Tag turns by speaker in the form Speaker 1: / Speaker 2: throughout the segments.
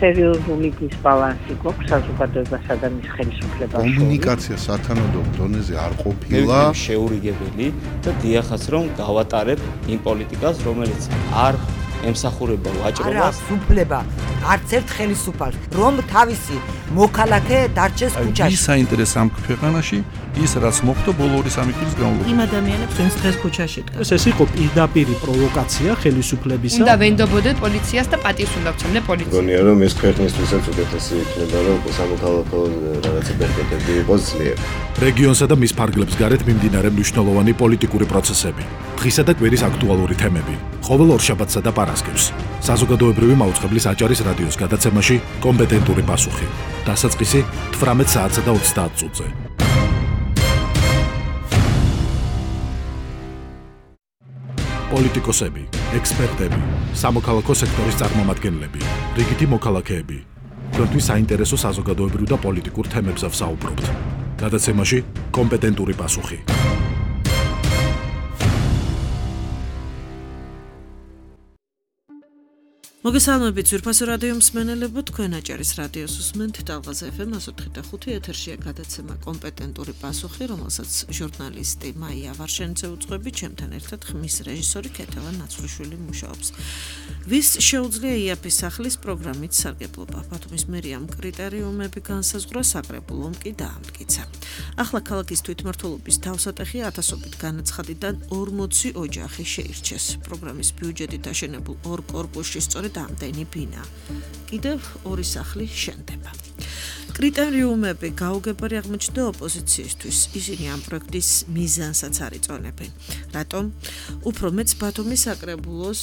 Speaker 1: სერიოზული დისბალანსი გვაქვს საზოგადოებასა და მის ხელისუფლებაში.
Speaker 2: კომუნიკაცია სათანადო დონეზე არ ყოფილა.
Speaker 3: შეურიგებელი და დიახაც რომ გავატარებ იმ პოლიტიკას, რომელიც არ ემსახურება ვაჭრობას.
Speaker 4: არა, უფლება არც ერთ ხელისუფალს, რომ თავისი მოქალაქე დარჩეს ქუჩაში.
Speaker 5: ის საინტერესო ამ ქვეყანაში ის რაც მოხდა ბოლო 2-3 წლის განმავლობაში.
Speaker 6: იმ ადამიანებს ვინც დღეს ქუჩაში დგას. ეს იყო პირდაპირი პროვოკაცია ხელისუფლებისა.
Speaker 7: უნდა ვენდობოდეთ პოლიციას და პატივს უნდა ვცემდე პოლიციას.
Speaker 8: გონია რომ ეს ქვეყნისთვისაც უკეთესი იქნება რომ სამოქალაქო რაღაცა ბერკეტები იყოს ძლიერი.
Speaker 9: რეგიონსა და მის ფარგლებს გარეთ მიმდინარე მნიშვნელოვანი პოლიტიკური პროცესები, დღისა და კვირის აქტუალური თემები, ყოველ ორშაბათსა და პარასკევს. საზოგადოებრივი მაუწყებლის აჭარის რადიოს გადაცემაში კომპეტენტური პასუხი. დასაწყისი 18 საათსა და 30 წუთზე. პოლიტიკოსები, ექსპერტები, სამოქალაქო სექტორის წარმომადგენლები, რიგითი მოქალაქეები. თქვენთვის საინტერესო საზოგადოებრივ და პოლიტიკურ თემებზე ვსაუბრობთ. გადაცემაში კომპეტენტური პასუხი.
Speaker 6: მოგესალმებით ძვირფასო რადიო მსმენელებო, თქვენ აჭარის რადიოს უსმენთ ტალღაზე FM 104.5 ეთერშია გადაცემა კომპეტენტური პასუხი, რომელსაც ჟურნალისტი მაია ვარშენიძე უძღვებით, ჩემთან ერთად ხმის რეჟისორი ქეთევან ნაცვლიშვილი მუშაობს. ვის შეუძლია იაფის სახლის პროგრამით სარგებლობა? ბათუმის მერიამ კრიტერიუმები განსაზღვრა, საკრებულომ კი დაამტკიცა. ახლა ქალაქის თვითმმართველობის თავსატეხი ათასობით განაცხადიდან 40 ოჯახი შეირჩეს. პროგრამის ბიუჯეტით აშენებულ ორ კორპუსში სწორედ ამდენი ბინა. კიდევ ორი სახლი შენდება. კრიტერიუმები გაუგებარი აღმოჩნდა ოპოზიციისთვის. ისინი ამ პროექტის მიზანსაც არ იწონებენ. რატომ? უფრო მეც ბათუმის საკრებულოს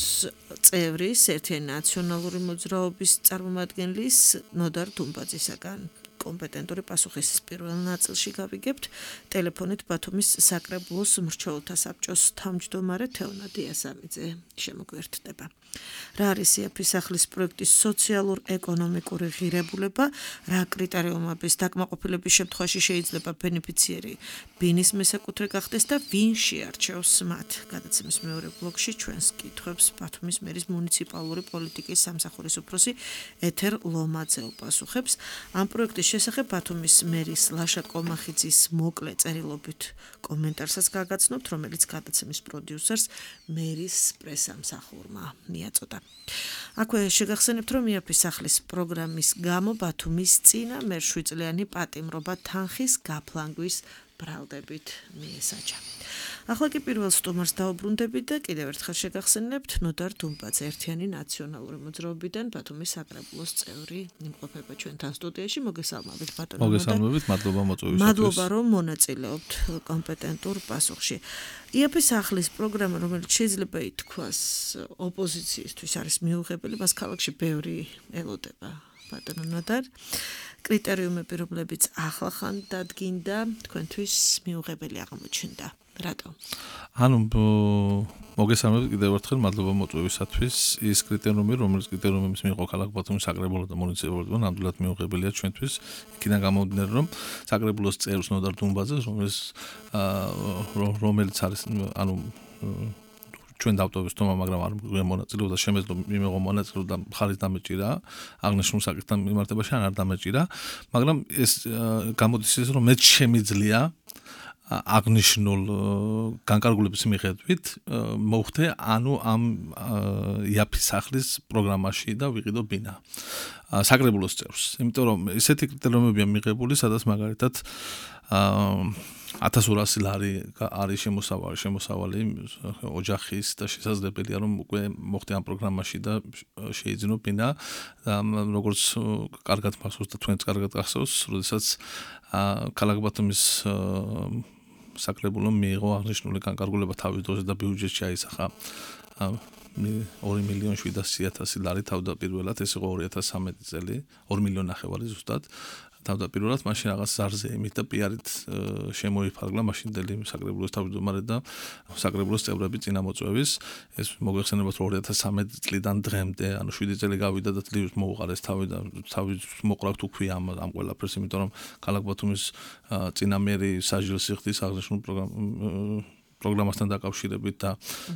Speaker 6: წევრის ერთიანი ნაციონალური მოძრაობის წარმომადგენლის ნოდარ დუმბაძისაგან. კომპეტენტური პასუხის პირველ ნაწილში გავიგებთ ტელეფონით ბათუმის საკრებულოს მრჩეველთა საბჭოს თავმჯდომარე თეონა დიასამიძე შემოგვიერთდება. რა არის იაფის სახლის პროექტის სოციალურ-ეკონომიკური ღირებულება, რა კრიტერიუმების დაკმაყოფილების შემთხვევაში შეიძლება ბენეფიციერი ბინის მესაკუთრე გახდეს და ვინ შეარჩევს მათ. გადაცემის მეორე ბლოკში ჩვენს კითხვებს ბათუმის მერის მუნიციპალური პოლიტიკის სამსახურის უფროსი ეთერ ლომაძე უპასუხებს. ამ პროექტის შესახებ ბათუმის მერის ლაშა კომახიძის მოკლე წერილობით კომენტარსაც გაგაცნობთ, რომელიც გადაცემის პროდიუსერს მერის პრესამსახურმა მიაწოდა. აქვე შეგახსენებთ, რომ იაფის სახლის პროგრამის გამო ბათუმის წინა მერშვიდწლიანი პატიმრობა თანხის გაფლანგვის ბრალდებით მიესაჯა. ახლა კი პირველ სტუმარს დაუბრუნდებით და კიდევ ერთხელ შეგახსენებთ ნოდარ დუმბაძე ერთიანი ნაციონალური მოძრაობიდან ბათუმის საკრებულოს წევრი იმყოფება ჩვენთან სტუდიაში. მოგესალმებით ბატონო.
Speaker 5: მოგესალმებით, მადლობა მოწვევისათვის.
Speaker 6: მადლობა რომ მონაწილეობთ კომპეტენტურ პასუხში. იაფის სახლის პროგრამა, რომელიც შეიძლება ითქვას ოპოზიციისთვის არის მიუღებელი, მას ქალაქში ბევრი ელოდება. ბატონო ნოდარ, კრიტერიუმები, რომლებიც ახლახან დადგინდა, თქვენთვის მიუღებელი აღმოჩნდა. რატო?
Speaker 5: ანუ მოგესალმებით კიდევ ერთხელ, მადლობა მოწვევისათვის. ის კრიტერიუმი, რომელიც კრიტერიუმებს მიიღო ქალაქ ბათუმის საკრებულო და მუნიციპალიტეტმა, ნამდვილად მიუღებელია ჩვენთვის. იქიდან გამომდინარე, რომ საკრებულოს წევრს ნოდარ დუმბაძეს, რომელიც არის, ანუ ჩვენ დავტოვეს თომა, მაგრამ არ მონაწილეობდა, შემეძლო მიიღო მონაწილეობა და მხარის დამეჭირა, აღნიშნულ საკითხთან მიმართებაში არ დამეჭირა, მაგრამ ეს გამოდის ის, რომ მეც შემიძლია აღნიშნულ განკარგულების მიხედვით მოვხდე ანუ ამ იაფის სახლის პროგრამაში და ვიყიდო ბინა საკრებულოს წევრს. იმიტომ რომ ესეთი კრიტერიუმებია მიღებული, სადაც მაგალითად 1200 ლარი არის შემოსავალი ოჯახის და შესაძლებელია რომ უკვე მოხდე ამ პროგრამაში და შეიძინო ბინა. როგორც კარგად მახსოვს და თქვენც კარგად გახსოვს, როდესაც ქალაქ ბათუმის საკრებულომ მიიღო აღნიშნული განკარგულება თავის დროზე და ბიუჯეტში აისახა 2.700.000 ლარი თავდაპირველად, ეს იყო 2013 წელი, 2 მილიონი ნახევარი ზუსტად. თავდაპირველად მაშინ რაღაც ზარზე იმით და პიარით შემოიფარგლა მაშინდელი საკრებულოს თავმჯდომარე და საკრებულოს წევრები წინამოწვევის. ეს მოგეხსენებათ 2013 წლიდან დღემდე, ანუ 7 წელი გავიდა და ძლივს მოუყარეს თავის მოყრავთ უქვია ამ ყველაფერს, იმიტომ რომ ქალაქ ბათუმის წინამერი საჯელს იხდის აღნიშნულ პროგრამასთან დაკავშირებით და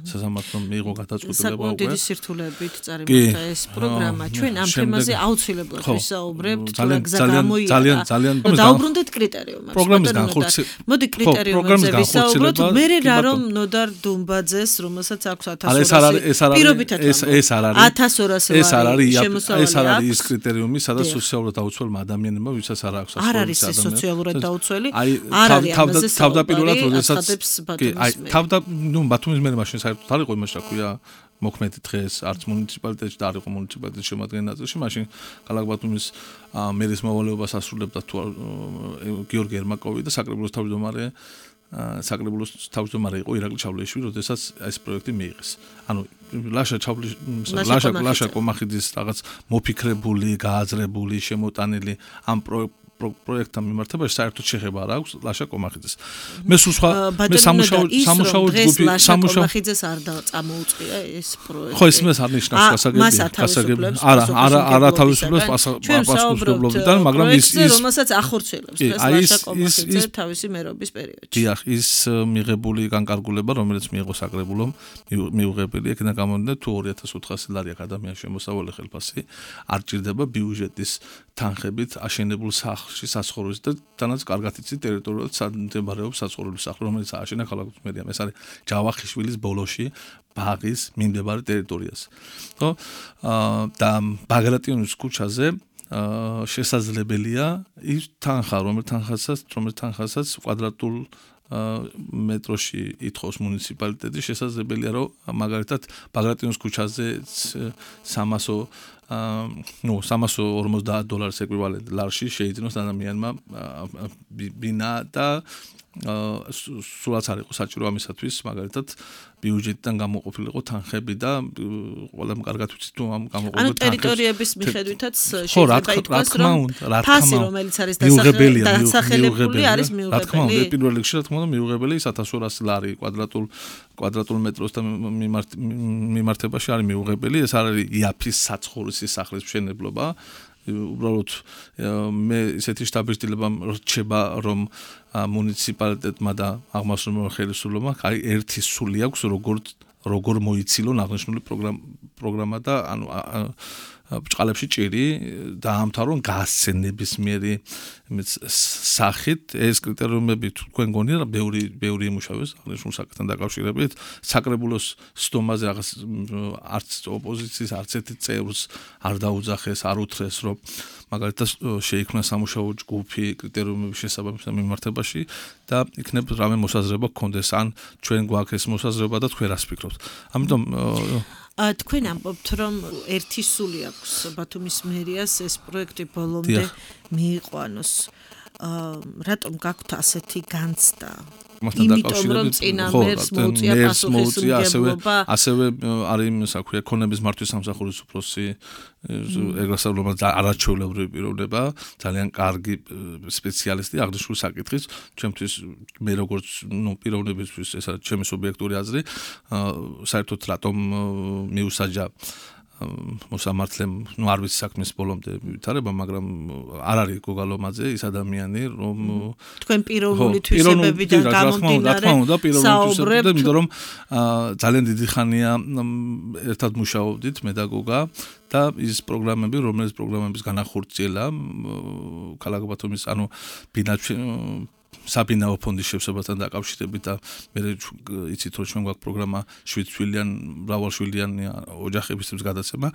Speaker 5: სასამართლომ მიიღო გადაწყვეტილება უკვე.
Speaker 6: საკუთარი სირთულეებით წარიმართა ეს პროგრამა. ჩვენ ამ თემაზე აუცილებლად ვისაუბრებთ, თუ რა გზა გამოიარა.
Speaker 5: ძალიან
Speaker 6: დაუბრუნდეთ კრიტერიუმებს.
Speaker 5: პროგრამის განხორციელება.
Speaker 6: მოდი კრიტერიუმებზე ვისაუბროთ. მე რამ ნოდარ დუმბაძეს, რომელსაც აქვს 1200 პირობითად
Speaker 5: ეს არ არის
Speaker 6: 1200 ლარი შემოსავალი.
Speaker 5: ეს არ არის ის კრიტერიუმი, სადაც სოციალურად დაუცველმა ადამიანებმა, ვისაც არ აქვს
Speaker 6: არ არის ეს სოციალურად დაუცველი. არ არის ამაზე
Speaker 5: თავდაპირველად როდესაც
Speaker 6: ბათუმის
Speaker 5: მერე მაშინ საერთოდ არ იყო იმაში, რა ქვია, მოქმედი დღეს არც მუნიციპალიტეტში და არ იყო მუნიციპალიტეტის შემადგენელ ნაწილში, მაშინ ქალაქ ბათუმის მერის მოვალეობას ასრულებდა გიორგი ერმაკოვი და საკრებულოს თავმჯდომარე იყო ირაკლი ჩავლეიშვილი, როდესაც ეს პროექტი მიიღეს. ანუ ლაშა კომახიძის რაღაც მოფიქრებული, გააზრებული, შემოტანილი ამ პროექტთან მიმართებაში საერთოდ შეხება არ აქვს ლაშა კომახიძეს. მე სულ სხვა მე სამუშაო ჯგუფი
Speaker 6: კომახიძეს არ წამოუწყია ეს პროექტი.
Speaker 5: ხო, ეს არ ნიშნავს გასაგები. არა თავისუფლებს პასუხისმგებლობიდან, მაგრამ ის
Speaker 6: რომელსაც ახორციელებს ლაშა კომახიძე თავისი მერობის პერიოდში.
Speaker 5: დიახ, ის მიღებული განკარგულება, რომელიც მიიღო საკრებულომ, მიუღებელი, იქნა გამოდიოდა თუ 2400 ლარი აკადემიაში შემოსავალი ხელფასი არ ჭირდება ბიუჯეტის თანხებით აშენებულ სახლში საცხოვრებელს და თანაც კარგად იცით ტერიტორიულად მდებარეობს საცხოვრებლის სახლი, რომელიც ააშენა ქალაქ მერიამ. ეს არის ჯავახიშვილის ბოლოში ბაღის მიმდებარე ტერიტორიაზე. ხო? და ბაგრატიონის ქუჩაზე შესაძლებელია ის თანხა, რომელიც თანხასაც კვადრატულ მეტროში ითხოვს მუნიციპალიტეტი, შესაძლებელია რომ მაგალითად ბაგრატიონის ქუჩაზე 350 დოლარის ეკვივალენტ ლარში შეიძინოს ადამიანმა ბინა და სულაც არ იყო საჭირო ამისათვის მაგალითად ბიუჯეტიდან გამოყოფილიყო თანხები და ყველამ კარგად ვიცით თუ ამ გამოყოფილ თანხებს
Speaker 6: ტერიტორიების მიხედვითაც შეიძლება ითქვას რომ ფასი რომელიც არის დასახელებული არის მიუღებელი.
Speaker 5: რა თქმა უნდა, პირველ რიგში რა თქმა უნდა მიუღებელი 1200 ლარი კვადრატულ მეტროსთან მიმართებაში არის მიუღებელი. ეს არის იაფის საცხოვრისი სახლის მშენებლობა. უბრალოდ მე ისეთი შტაბის-დილება რჩება რომ მუნიციპალიტეტმა და აღმასრულებელ ხელისუფლებამ ერთი სული აქვს როგორ მოიცილონ აღნიშნული პროგრამა და ანუ ბჭყალებში ჭირი დაამთავრონ გასცენებისმიერი სახით ეს კრიტერიუმები თქვენ გონია ბევრი იმუშავეს აღნიშნულ საკითხთან დაკავშირებით საკრებულოს სტომაზე რაღაც არც ოპოზიციის არც ერთი წევრს არ დაუძახეს არ უთხრეს რომ მაგალითად შეიქმნა სამუშაო ჯგუფი კრიტერიუმების შესაბამისად მიმართებაში და იქნებ რამე მოსაზრება გქონდეს ან ჩვენ გვაქვს ეს მოსაზრება და თქვენ რას ფიქრობთ ამიტომ
Speaker 6: თქვენ ამბობთ რომ ერთი სული აქვს ბათუმის მერიას ეს პროექტი ბოლომდე მიიყვანოს რატომ გაქვთ ასეთი განცდა იმიტომ რომ წინა მერს მოუწია პასუხისმგებლობა
Speaker 5: ასევე არის საქმე ეკონომიკის მართვის სამსახურის უფროსი ეგრესავლობა არაჩვეულებრივი პიროვნება ძალიან კარგი სპეციალისტი აღნიშნულ საკითხის ჩემთვის მე როგორც პიროვნებისთვის ეს არის ჩემი სუბიექტური აზრი საერთოდ რატომ მიუსაჯა მოსამართლემ არ ვიცი საქმის ბოლომდე ვითარება მაგრამ არ არის გოგალომაძე ის ადამიანი რომ
Speaker 6: თქვენ პიროვნული თვისებებიდან გამომდინარე საუბრობთ
Speaker 5: იმიტომ რომ ძალიან დიდი ხანია ერთად მუშაობდით მე და გოგა და ის პროგრამები რომელიც პროგრამების განახორციელა ქალაქ ბათუმის ანუ საბინაო ფონდის შევსებასთან დაკავშირებით და მე იცით რომ ჩვენ გვაქვს პროგრამა 7 შვილიან მრავალშვილიანი ოჯახებისთვის გადაცემა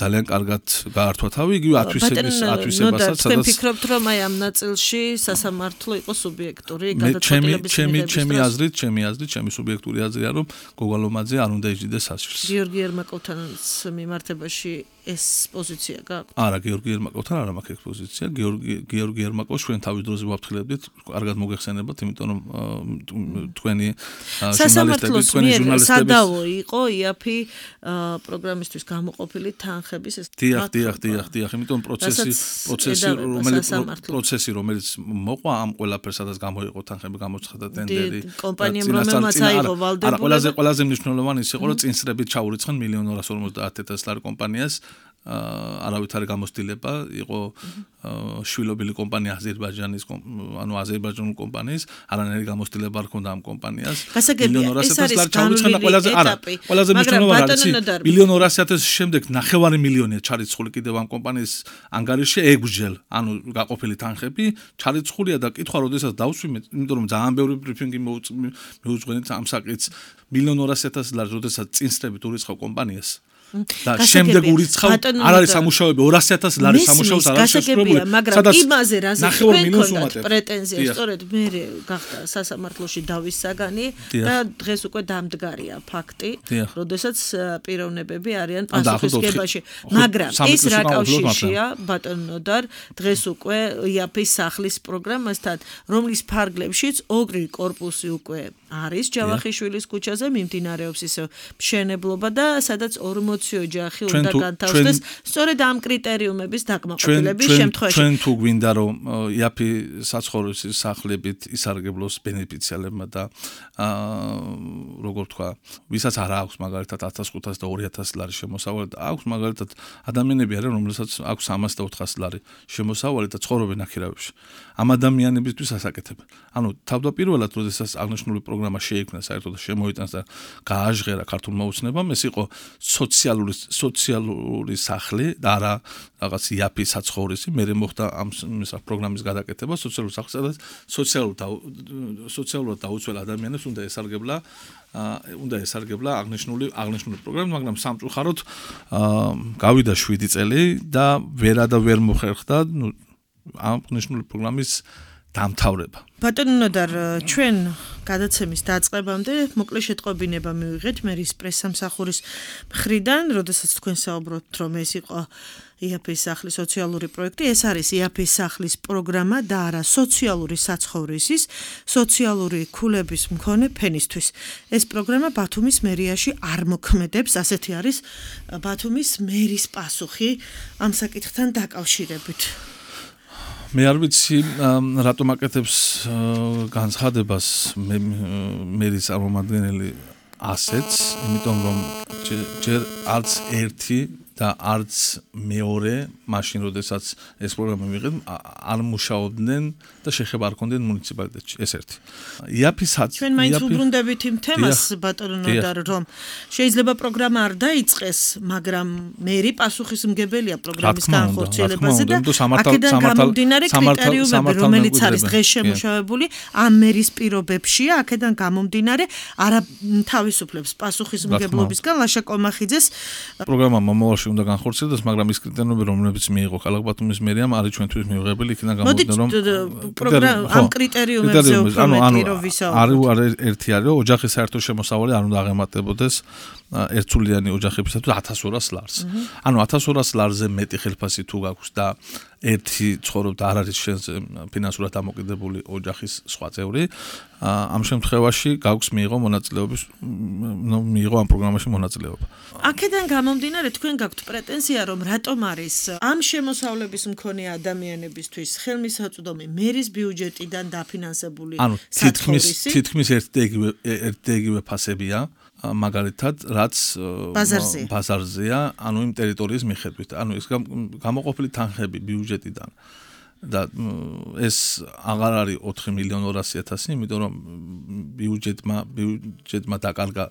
Speaker 5: ძალიან კარგად გაართვა თავი იგივე ათვისებასაც
Speaker 6: თქვენ ფიქრობთ რომ აი ამ ნაწილში სასამართლო იყო სუბიექტური გადაწყვეტილების
Speaker 5: ჩემი აზრით ჩემი სუბიექტური აზრია რომ გოგალომაძე არ უნდა იჯდეს სასჯელს
Speaker 6: გიორგი ერმაკოვთან მიმართებაში ეს პოზიცია გაქვთ?
Speaker 5: არა, გიორგი ერმაკოვთან არ მაქვს ეს პოზიცია. გიორგი ერმაკოვს ჩვენ თავის დროზე ვაფრთხილებდით, კარგად მოგეხსენებათ, იმიტომ რომ თქვენი ჟურნალისტები
Speaker 6: სადავო იყო იაფი პროგრამისთვის გამოყოფილი თანხების ეს
Speaker 5: დიახ, იმიტომ პროცესი რომელიც მოყვა ამ ყველაფერს სადაც გამოიყო თანხები გამოცხადა ტენდერი
Speaker 6: კომპანიამ რომელმაც აიღო ვალდებული
Speaker 5: არა ყველაზე მნიშვნელოვანი ის იყო რომ წინსრებით ჩაურიცხან 1.250.000 ლარი კომპანიას არავით არ გამოსtildeება, იყო შვილობილი კომპანია აზერბაიჯანის, ანუ აზერბაიჯანული კომპანიის, არანაირი გამოსtildeება არ ქონდა ამ კომპანიას.
Speaker 6: 1,200,000 ლარი ჩავიცხანა
Speaker 5: ყველაზე მნიშვნელოვანი არის 1,200,000 შემდეგ 9 მილიონია ჩარიცხული კიდევ ამ კომპანიის ანგარიშში ეგჯელ, ანუ გაყოფილი თანხები ჩარიცხულია და კითხვა როდესაც დავსვიმეთ, იმიტომ რომ ძალიან ბევრი ბრიფინგი მეუძღვენით ამ საკითხს 1,200,000 ლარი როდესაც წინსწრებით ურიცხავ კომპანიას. და შემდეგ ურიცხავ არ არის სამუშაოები 200,000 ლარი სამუშაოს არ არის შესრულებული
Speaker 6: მაგრამ იმაზე რაზე თქვენ პრეტენზია სწორედ მე გახდა სასამართლოში დავის საგანი და დღეს უკვე დამდგარია ფაქტი როდესაც პიროვნებები არიან პასუხისმგებაში მაგრამ ეს რა კავშირია ბატონ ნოდარ დღეს უკვე იაფის სახლის პროგრამასთან რომლის ფარგლებშიც ორი კორპუსი უკვე არის ჯავახიშვილის ქუჩაზე მიმდინარეობს ისე მშენებლობა და სადაც 40 ოჯახი უნდა განთავსდეს სწორედ ამ კრიტერიუმების დაკმაყოფილების შემთხვევაში.
Speaker 5: ჩვენ თუ გვინდა რომ იაფი საცხოვრისის სახლებით ისარგებლოს ბენეფიციარებმა და როგორ თქვა, ვისაც არ აქვს მაგალითად 1500 და 2000 ლარი შემოსავალი და აქვს მაგალითად ადამიანები არიან რომელსაც აქვს 300 და 400 ლარი შემოსავალი და ცხოვრობენ აქირავებში. ამ ადამიანებისთვის ასაკეთებენ. ანუ თავდაპირველად როდესაც აღნიშნული პროგრამა შეიქმნა საერთოდ და შემოიტანს და გააჟღერა ქართულმა ოცნებამ ეს იყო სოციალური სახლი და არა რაღაც იაფი საცხოვრისი მე მოხდა ამ პროგრამის გადაკეთება სოციალური სახლი სადაც სოციალურად დაუცველ ადამიანებს უნდა ესარგებლა აღნიშნული პროგრამა მაგრამ სამწუხაროდ გავიდა 7 წელი და ვერ მოხერხდა ამ აღნიშნული პროგრამის დამთავრება.
Speaker 6: ბატონ ნოდარ, ჩვენ გადაცემის დაწყებამდე მოკლე შეტყობინება მივიღეთ მერის პრესსამსახურის მხრიდან, როდესაც თქვენ საუბრობთ, რომ ეს იყო იაფის სახლის სოციალური პროექტი, ეს არის იაფის სახლის პროგრამა და არა სოციალური საცხოვრისის, სოციალური ქულების მქონე ფენისთვის. ეს პროგრამა ბათუმის მერიაში არ მოქმედებს, ასეთი არის ბათუმის მერის პასუხი ამ საკითხთან დაკავშირებით.
Speaker 5: მე არ ვიცი რატომ აკეთებს განცხადებას მერის წარმომადგენელი ასეთს, იმიტომ რომ ჯერ არც ერთი და არც მეორე მაშინ როდესაც ეს პროგრამა მიიღეს არ მუშაობდნენ და შეხება არ ქონდნენ მუნიციპალიტეტში ეს ერთი.
Speaker 6: ჩვენ მაინც უბრუნდებით იმ თემას ბატონ ნოდარ რომ შეიძლება პროგრამა არ დაიწყეს, მაგრამ მერი პასუხისმგებელია პროგრამის განხორციელებაზე და აქედან გამომდინარე კრიტერიუმები რომელიც არის დღეს შემუშავებული ამ მერის პირობებშია, აქედან გამომდინარე არა თავისუფლებს პასუხისმგებლობისგან ლაშა კომახიძეს
Speaker 5: პროგრამა მომავალში უნდა განხორციელდეს, მაგრამ ის კრიტერიუმები, რომლებიც მიიღო ქალაქ ბათუმის მერიამ, არის ჩვენთვის მიღებული, იქიდან გამომდინარე, რომ
Speaker 6: ამ კრიტერიუმებზე უფრო მეტი რომ ვისაუბროთ.
Speaker 5: არის ერთი არის, რომ ოჯახის საერთო შემოსავალი არ უნდა აღემატებოდეს ერთსულიანი ოჯახებისათვის 1200 ლარს. ანუ 1200 ლარზე მეტი ხელფასი თუ გაქვს და ერთი ცხოვრობ და არ არის შენს ფინანსურად დამოკიდებული ოჯახის სხვა წევრი, ამ შემთხვევაში გაქვს მიიღო ამ პროგრამაში მონაწილეობა.
Speaker 6: აქედან გამომდინარე თქვენ გაქვთ პრეტენზია რომ რატომ არის ამ შემოსავლების მქონე ადამიანებისთვის ხელმისაწვდომი მერის ბიუჯეტიდან დაფინანსებული საცხოვრისი?
Speaker 5: თითქმის ერთდაიგივე ფასებია. მაგალითად, რაც ბაზარზეა, ანუ იმ ტერიტორიის მიხედვით. ანუ ეს გამოყოფილი თანხები ბიუჯეტიდან და ეს აღარ არის 4,200,000, იმიტომ რომ ბიუჯეტმა დაკარგა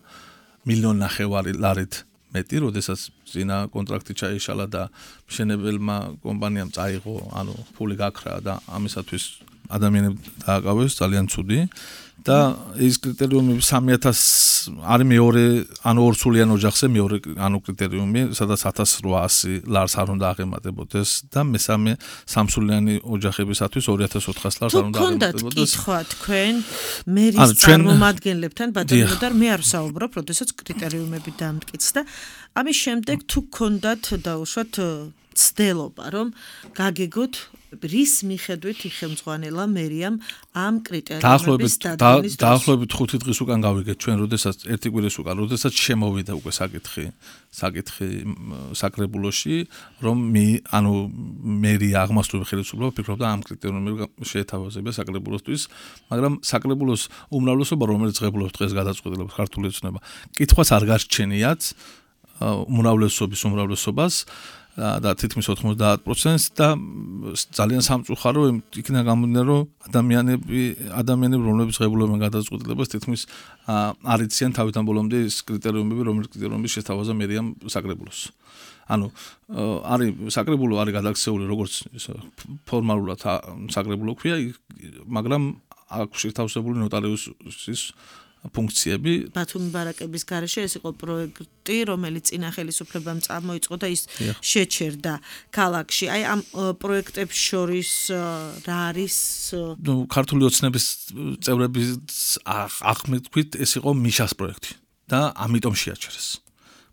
Speaker 5: 1,500,000 ლარით მეტი, როდესაც წინა კონტრაქტი ჩაიშალა და მშენებელმა კომპანიამ წაიღო, ანუ ფული გაქრა და ამისათვის ადამიანები დააკავეს ძალიან ცუდი და ეს კრიტერიუმი 3,000 არის მეორე, ანუ ორსულიან ოჯახზე მეორე ანუ კრიტერიუმი, სადაც 1,800 ლარს არ უნდა აღემატებოდეს და მესამე სამსულიანი ოჯახებისათვის 2,400 ლარს არ უნდა აღემატებოდეს.
Speaker 6: კითხვა თქვენ მერის წარმომადგენლებთან ბატონო და მე არ ვსაუბრობ, როდესაც კრიტერიუმები დამტკიცდა. ამის შემდეგ თუ გქონდათ დაუშვათ ცდელობა, რომ გაგეგოთ რის მიხედვით იხელმძღვანელა მერიამ ამ კრიტერიუმების დადგენის დროს.
Speaker 5: დაახლოებით 5 დღის უკან გავიგეთ ჩვენ, როდესაც ერთი კვირის უკან, როდესაც შემოვიდა უკვე საკითხი საკრებულოში, რომ ანუ მერია აღმასრულებელი ხელისუფლება ფიქრობდა ამ კრიტერიუმების შეეთავაზება საკრებულოსთვის, მაგრამ საკრებულოს უმრავლესობა, რომელიც ღებულობს დღეს გადაწყვეტილებას ქართული ოცნება, კითხვას არ გარჩენიათ უმრავლესობას და თითქმის 90%-ს და ძალიან სამწუხარო იქნა გამომდინარე, რომ ადამიანები, რომლებიც ღებულობენ გადაწყვეტილებას, თითქმის არ იციან თავიდან ბოლომდე ის კრიტერიუმები, რომლის კრიტერიუმების შესთავაზა მერიამ საკრებულოს. ანუ არის საკრებულო არის გადაქცეული როგორც ფორმალურად საკრებულო ქვია, მაგრამ აქვს შეთავსებული ნოტარიუსის ფუნქციები.
Speaker 6: ბათუმი ბარაკების გარეშე ეს იყო პროექტი, რომელიც წინა ხელისუფლებამ წარმოიწყო და ის შეჩერდა ქალაქში. აი ამ პროექტებს შორის რა არის?
Speaker 5: ქართული ოცნების წევრების აღმეთქვით ეს იყო მიშას პროექტი და ამიტომ შეაჩერეს.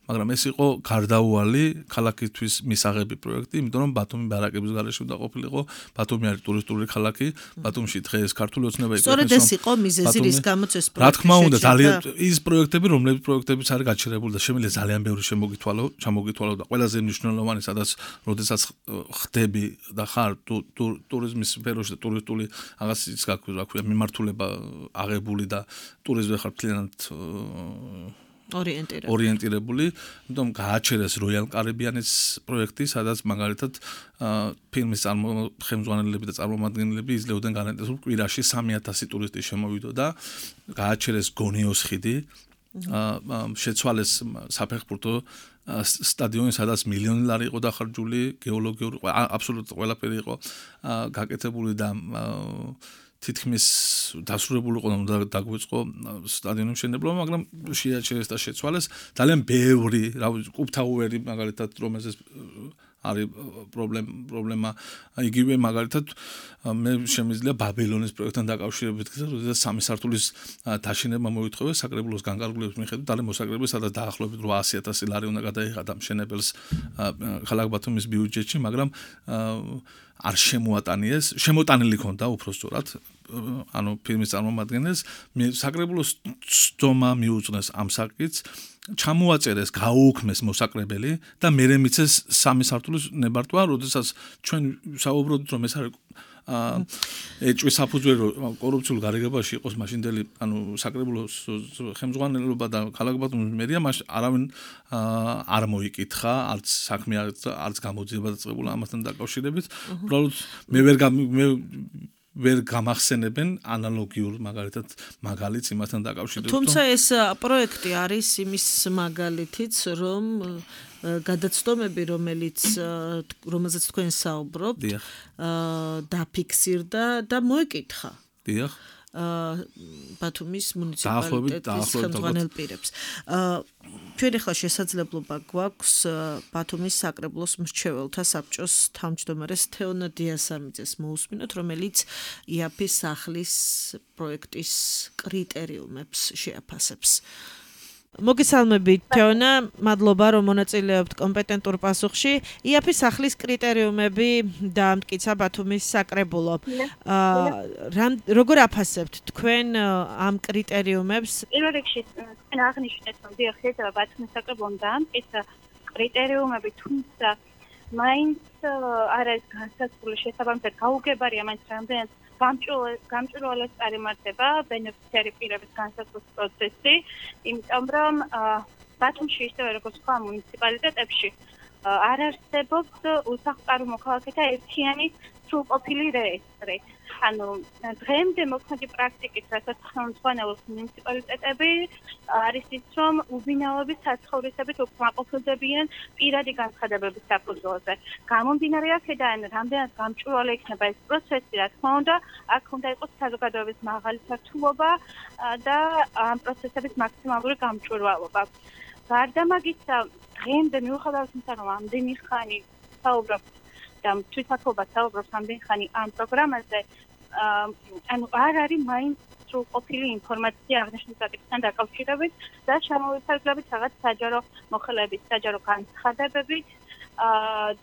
Speaker 5: მაგრამ ეს იყო გარდაუვალი ქალაქისთვის მისაღები პროექტი, იმიტომ რომ ბათუმი ბარაკების გარეშე უნდა ყოფილიყო. ბათუმი არის ტურისტული ქალაქი, ბათუმში დღეს ქართული ოცნება იყო.
Speaker 6: სწორედ ეს იყო მიზეზი, რის გამოც ეს პროექტი.
Speaker 5: რა თქმა უნდა, ძალიან ის პროექტები, რომლებიც არის გაჩერებული და შემიძლია ძალიან ბევრი ჩამოგითვალო და ყველაზე მნიშვნელოვანი, როდესაც ხდები და ხარ ტურიზმის სფეროში და ტურისტული რაღაც ის გაქვია მიმართულება აღებული და ტურიზმზე ხარ მთლიანად ორიენტირებული, იმიტომ გააჩერეს Royal Caribbean-ის პროექტი, სადაც მაგალითად ფილმის ხელმძღვანელები და წარმომადგენლები იძლეოდნენ გარანტიას, რომ კვირაში 3000 ტურისტი შემოვიდო და გააჩერეს გონიოს ხიდი, შეცვალეს საფეხბურთო სტადიონი, სადაც მილიონი ლარი იყო დახარჯული, გეოლოგიური აბსოლუტურად ყველაფერი იყო გაკეთებული და თითქმის დასრულებული იყო და დაგვიწყო სტადიონის მშენებლობა, მაგრამ შეაჩერეს და შეცვალეს. ძალიან ბევრი, კუბთაუერი მაგალითად, რომელზეც არის პრობლემა, იგივე მაგალითად მე შემიძლია ბაბილონის პროექტთან დაკავშირებით, როდესაც 3 სართულის დაშენება მოითხოვეს საკრებულოს განკარგულების მიხედვით, და მოსაკრებელს სადაც დაახლოებით 800,000 ლარი უნდა გადაიღადა მშენებელს ქალაქ ბათუმის ბიუჯეტში, მაგრამ არ შემოატანიეს, შემოტანილი ქონდა უბრალოდ ანუ ფილმის წარმომადგენელს, საკრებულოს ცდომა მიუძღვნეს ამ საკითხს, ჩამოაწერეს, გაუუქმეს მოსაკრებელი და მერე მიცეს 3 სართულის ნებართვა, როდესაც ჩვენ საუბრობთ, რომ ეს არის ეჭვის საფუძველი კორუფციულ გარიგებაში იყოს მაშინდელი, ანუ საკრებულოს ხელმძღვანელობა და ქალაქ ბათუმის მერია, მაშინ არავინ არ მოიკითხა, არც საქმე არც გამოძიება დაწყებულა ამასთან დაკავშირებით. უბრალოდ მე ვერ გამახსენებენ ანალოგიურ მაგალითად მაგალითს იმასთან დაკავშირებით.
Speaker 6: თუმცა ეს პროექტი არის იმის მაგალითიც, რომ გადაცდომები, რომელზეც თქვენ საუბრობთ, დაფიქსირდა და მოეკითხა.
Speaker 5: დიახ.
Speaker 6: ბათუმის მუნიციპალიტეტის ხელმძღვანელ პირებს. ჩვენ ახლა შესაძლებლობა გვაქვს ბათუმის საკრებულოს მრჩეველთა საბჭოს თავმჯდომარეს თეონა დიასამიძეს მოусმინოთ, რომელიც იაფის სახლის პროექტის კრიტერიუმებს შეაფასებს. მოგესალმებით თეონა, მადლობა რომ მონაწილეობთ კომპეტენტურ პასუხში. იაფის სახლის კრიტერიუმები დაამტკიცა ბათუმის საკრებულო. როგორ აფასებთ თქვენ ამ კრიტერიუმებს?
Speaker 10: პირველ რიგში თქვენ აღნიშნეთ, რომ დიახ, შეიძლება ბათუმის საკრებულომ დაამტკიცა კრიტერიუმები, თუმცა მაინც არ არის განსაზღვრული შესაბამისად გაუგებარია მაინც რამდენად გამჭვირვალეს წარიმართება ბენეფიციარი პირების განსაზღვრის პროცესი, იმიტომ რომ ბათუმში ისევე როგორც სხვა მუნიციპალიტეტებში არ არსებობს უსახლკარო მოქალაქეთა ერთიანი სრულყოფილი რეესტრი. ანუ დღემდე მოქმედი პრაქტიკით, რასაც ხელმძღვანელობს მუნიციპალიტეტები, არის ის, რომ უბინაობის საცხოვრისებით უკმაყოფილდებიან პირადი განცხადებების საფუძველზე. გამომდინარე აქედან, რამდენად გამჭვირვალე იქნება ეს პროცესი, რა თქმა უნდა, აქ უნდა იყოს საზოგადოების მაღალი სართულობა და ამ პროცესების მაქსიმალური გამჭვირვალობა. გარდა მაგისა, დღემდე მიუხედავად იმისა, რომ ამდენი ხანი საუბრობთ და თვითმმართველობა საუბრობს ამდენი ხანი ამ პროგრამაზე, ანუ არ არის მაინც სრულყოფილი ინფორმაცია აღნიშნულ საკითხთან დაკავშირებით და შემოვიფარგლებით რაღაც საჯარო მოხელეებით, საჯარო განცხადებებით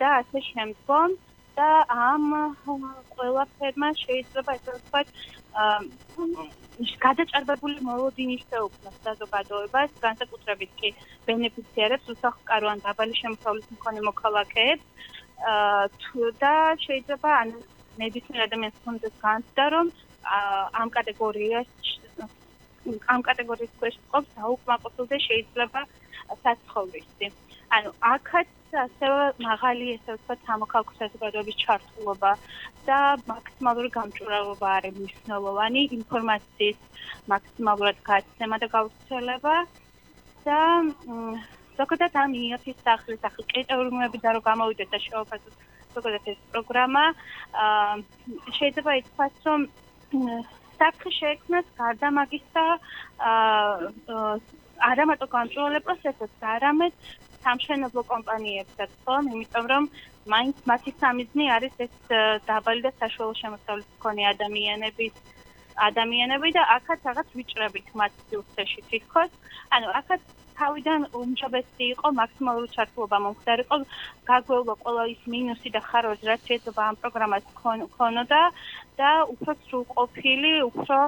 Speaker 10: და ასე შემდგომ და ამ ყველაფერმა შეიძლება ესე ვთქვათ გადაჭარბებული მოლოდინი შეუქმნას საზოგადოებას, განსაკუთრებით კი ბენეფიციარებს, უსახლკარო ან დაბალი შემოსავლის მქონე მოქალაქეებს და შეიძლება ნებისმიერ ადამიანს ჰქონდეს განცდა, რომ ამ კატეგორიის ქვეშ ყოფს დაუკმაყოფილდეს შეიძლება საცხოვრისი. ანუ აქაც ასევე მაღალი ესე ვთქვათ სამოქალაქო საზოგადოების ჩართულობა და მაქსიმალური გამჭვირვალობა არის მნიშვნელოვანი ინფორმაციის მაქსიმალურად გაცემა და გავრცელება და ზოგადად ამ IAF-ის სახლის კრიტერიუმები და რომ გამოვიდეს და შეუფასოს ზოგადად ეს პროგრამა შეიძლება ითქვას რომ საფრთხე შეექმნას გარდა მაგისა არა მარტო გამჭვირვალე პროცესებს, არამედ სამშენებლო კომპანიებსაც ხომ, იმიტომ რომ მაინც მათი სამიზნე არის ეს დაბალი და საშუალო შემოსავლით მქონე ადამიანები და აქაც რაღაც ვიჭრებით მათ სივრცეში თითქოს. ანუ აქაც თავიდან უმჯობესი იყო მაქსიმალური ჩართულობა მომხდარიყო, გაგვეულო ყველა ის მინუსი და ხარვები, რაც შეიძლება ამ პროგრამას ქონოდა და უფრო სრულყოფილი, უფრო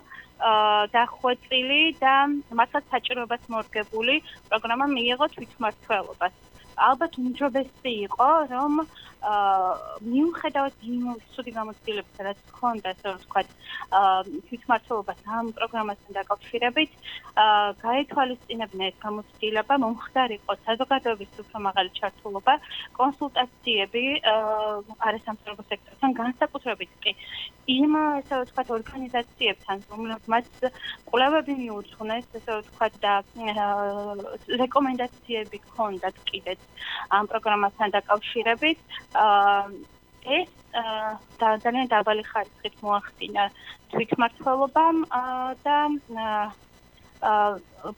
Speaker 10: დახვეწილი და მართლაც საჭიროებას მორგებული პროგრამა მიიღო თვითმმართველობას. ალბათ უმჯობესი იყო, რომ მიუხედავად იმ ცუდი გამოცდილებისა, რაც ჰქონდა, ასე ვთქვათ, თვითმმართველობას ამ პროგრამასთან დაკავშირებით, გაეთვალისწინებინა ეს გამოცდილება, მომხდარიყო საზოგადოების უფრო მაღალი ჩართულობა, კონსულტაციები არასამთავრობო სექტორთან, განსაკუთრებით კი იმ ასე ვთქვათ ორგანიზაციებთან, რომლებმაც კვლევები მიუძღვნეს, ასე ვთქვათ და რეკომენდაციები ჰქონდათ კიდეც ამ პროგრამასთან დაკავშირებით, ეს ძალიან დაბალი ხარისხით მოახდინა თვითმმართველობამ და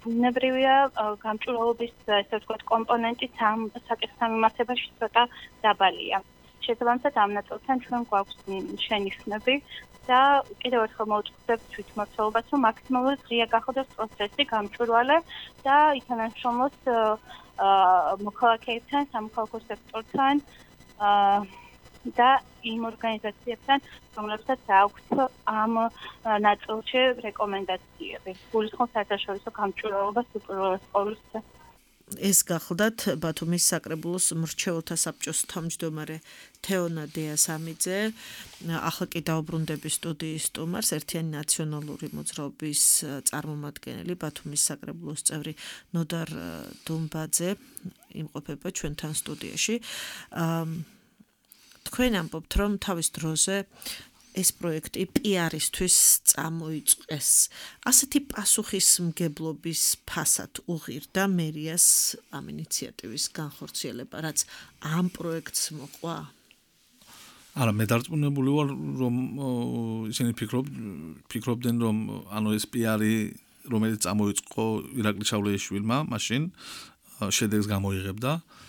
Speaker 10: ბუნებრივია გამჭვირვალობის ესე ვთქვათ კომპონენტიც ამ საკითხთან მიმართებაში ცოტა დაბალია. შესაბამისად ამ ნაწილთან ჩვენ გვაქვს შენიშვნები და კიდევ ერთხელ მოვუწყდებთ თვითმმართველობას, რომ მაქსიმალურად ღია გახდეს პროცესი გამჭვირვალე და ითანამშრომლოს მოქალაქეებთან, სამოქალაქო სექტორთან და იმ ორგანიზაციებთან, რომლებსაც აქვთ ამ ნაწილში რეკომენდაციები. გულისხმობს საერთაშორისო გამჭვირვალობას უპირველეს ყოვლისა.
Speaker 6: ეს გახლდათ ბათუმის საკრებულოს მრჩეველთა საბჭოს თავმჯდომარე თეონა დიასამიძე, ახლა კი დაუბრუნდები სტუდიის სტუმარს, ერთიანი ნაციონალური მოძრაობის წარმომადგენელი, ბათუმის საკრებულოს წევრი ნოდარ დუმბაძე იმყოფება ჩვენთან სტუდიაში. თქვენ ამბობთ, რომ თავის დროზე ეს პროექტი PR-ისთვის წამოიწყეს. ასეთი პასუხისმგებლობის ფასად უღირდა მერიას ამ ინიციატივის განხორციელება, რაც ამ პროექტს მოყვა?
Speaker 5: არა, მე დარწმუნებული ვარ, რომ ისინი ფიქრობდნენ, რომ ანუ ეს PR-ი, რომელიც წამოიწყო ირაკლი ჩავლეიშვილმა, მაშინ შედეგს გამოიღებდა.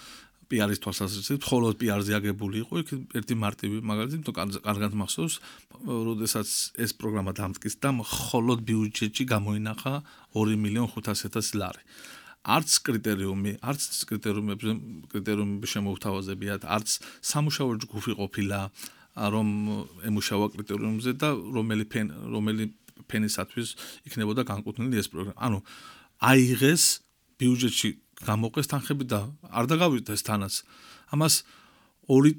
Speaker 5: PR-ის თვალსაზრისით, მხოლოდ PR-ზე აგებული იყო, იქ ერთი მარტივი მაგალითი, კარგად მახსოვს, როდესაც ეს პროგრამა დამტკიცა და მხოლოდ ბიუჯეტში გამოინახა 2.500.000 ლარი. არც კრიტერიუმები შემოუთავაზებიათ, არც სამუშაო ჯგუფი ყოფილა, რომ ემუშავა კრიტერიუმზე და რომელი ფენისათვის იქნებოდა განკუთვნილი ეს პროგრამა. ანუ აიღეს ბიუჯეტში გამოყეს თანხები და არ დაგავიდეს თანაც. ამას 1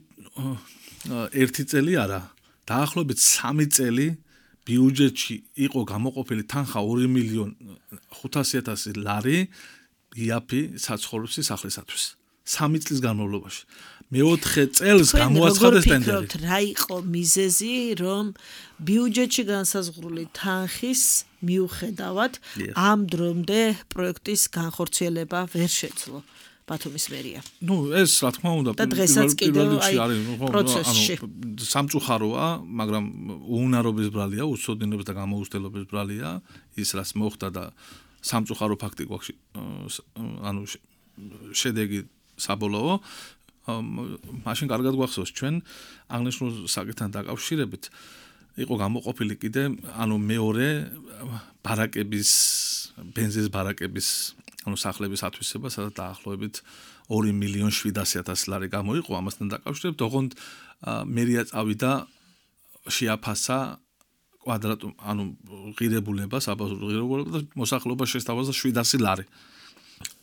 Speaker 5: წელი არა, დაახლოებით 3 წელი ბიუჯეტში იყო გამოყოფილი თანხა 2.500.000 ლარი IAF საცხოვრებლის სახლისათვის. 3 წლის განმავლობაში. მე-4 წელს გამოაცხადეს ტენდერი.
Speaker 6: რა იყო მიზეზი, რომ ბიუჯეტში განსაზღვრული თანხის მიუხედავად ამ დრომდე პროექტის განხორციელება ვერ შეძლო ბათუმის მერია?
Speaker 5: ნუ ეს რა თქმა უნდა
Speaker 6: პროცესში
Speaker 5: სამწუხაროა, მაგრამ უუნარობის ბრალია, უცოდინობის და გამოუცდელობის ბრალია, ის რაც მოხდა და სამწუხარო ფაქტი გვაქვს, ანუ შედეგი საბოლოო. მაშინ კარგად გვახსოვს ჩვენ აღნიშნულ საკითხთან დაკავშირებით იყო გამოყოფილი კიდე ანუ მეორე ბარაკების ბენზინის ბარაკების ანუ სახლების ათვისება, სადაც დაახლოებით 2.700.000 ლარი გამოიყო ამასთან დაკავშირებით, ოღონდ მერია წავიდა შეაფასა კვადრატ ანუ ღირებულება, საბაზრო ღირებულება და მოსახლეობა შესთავაზა 700 ლარი.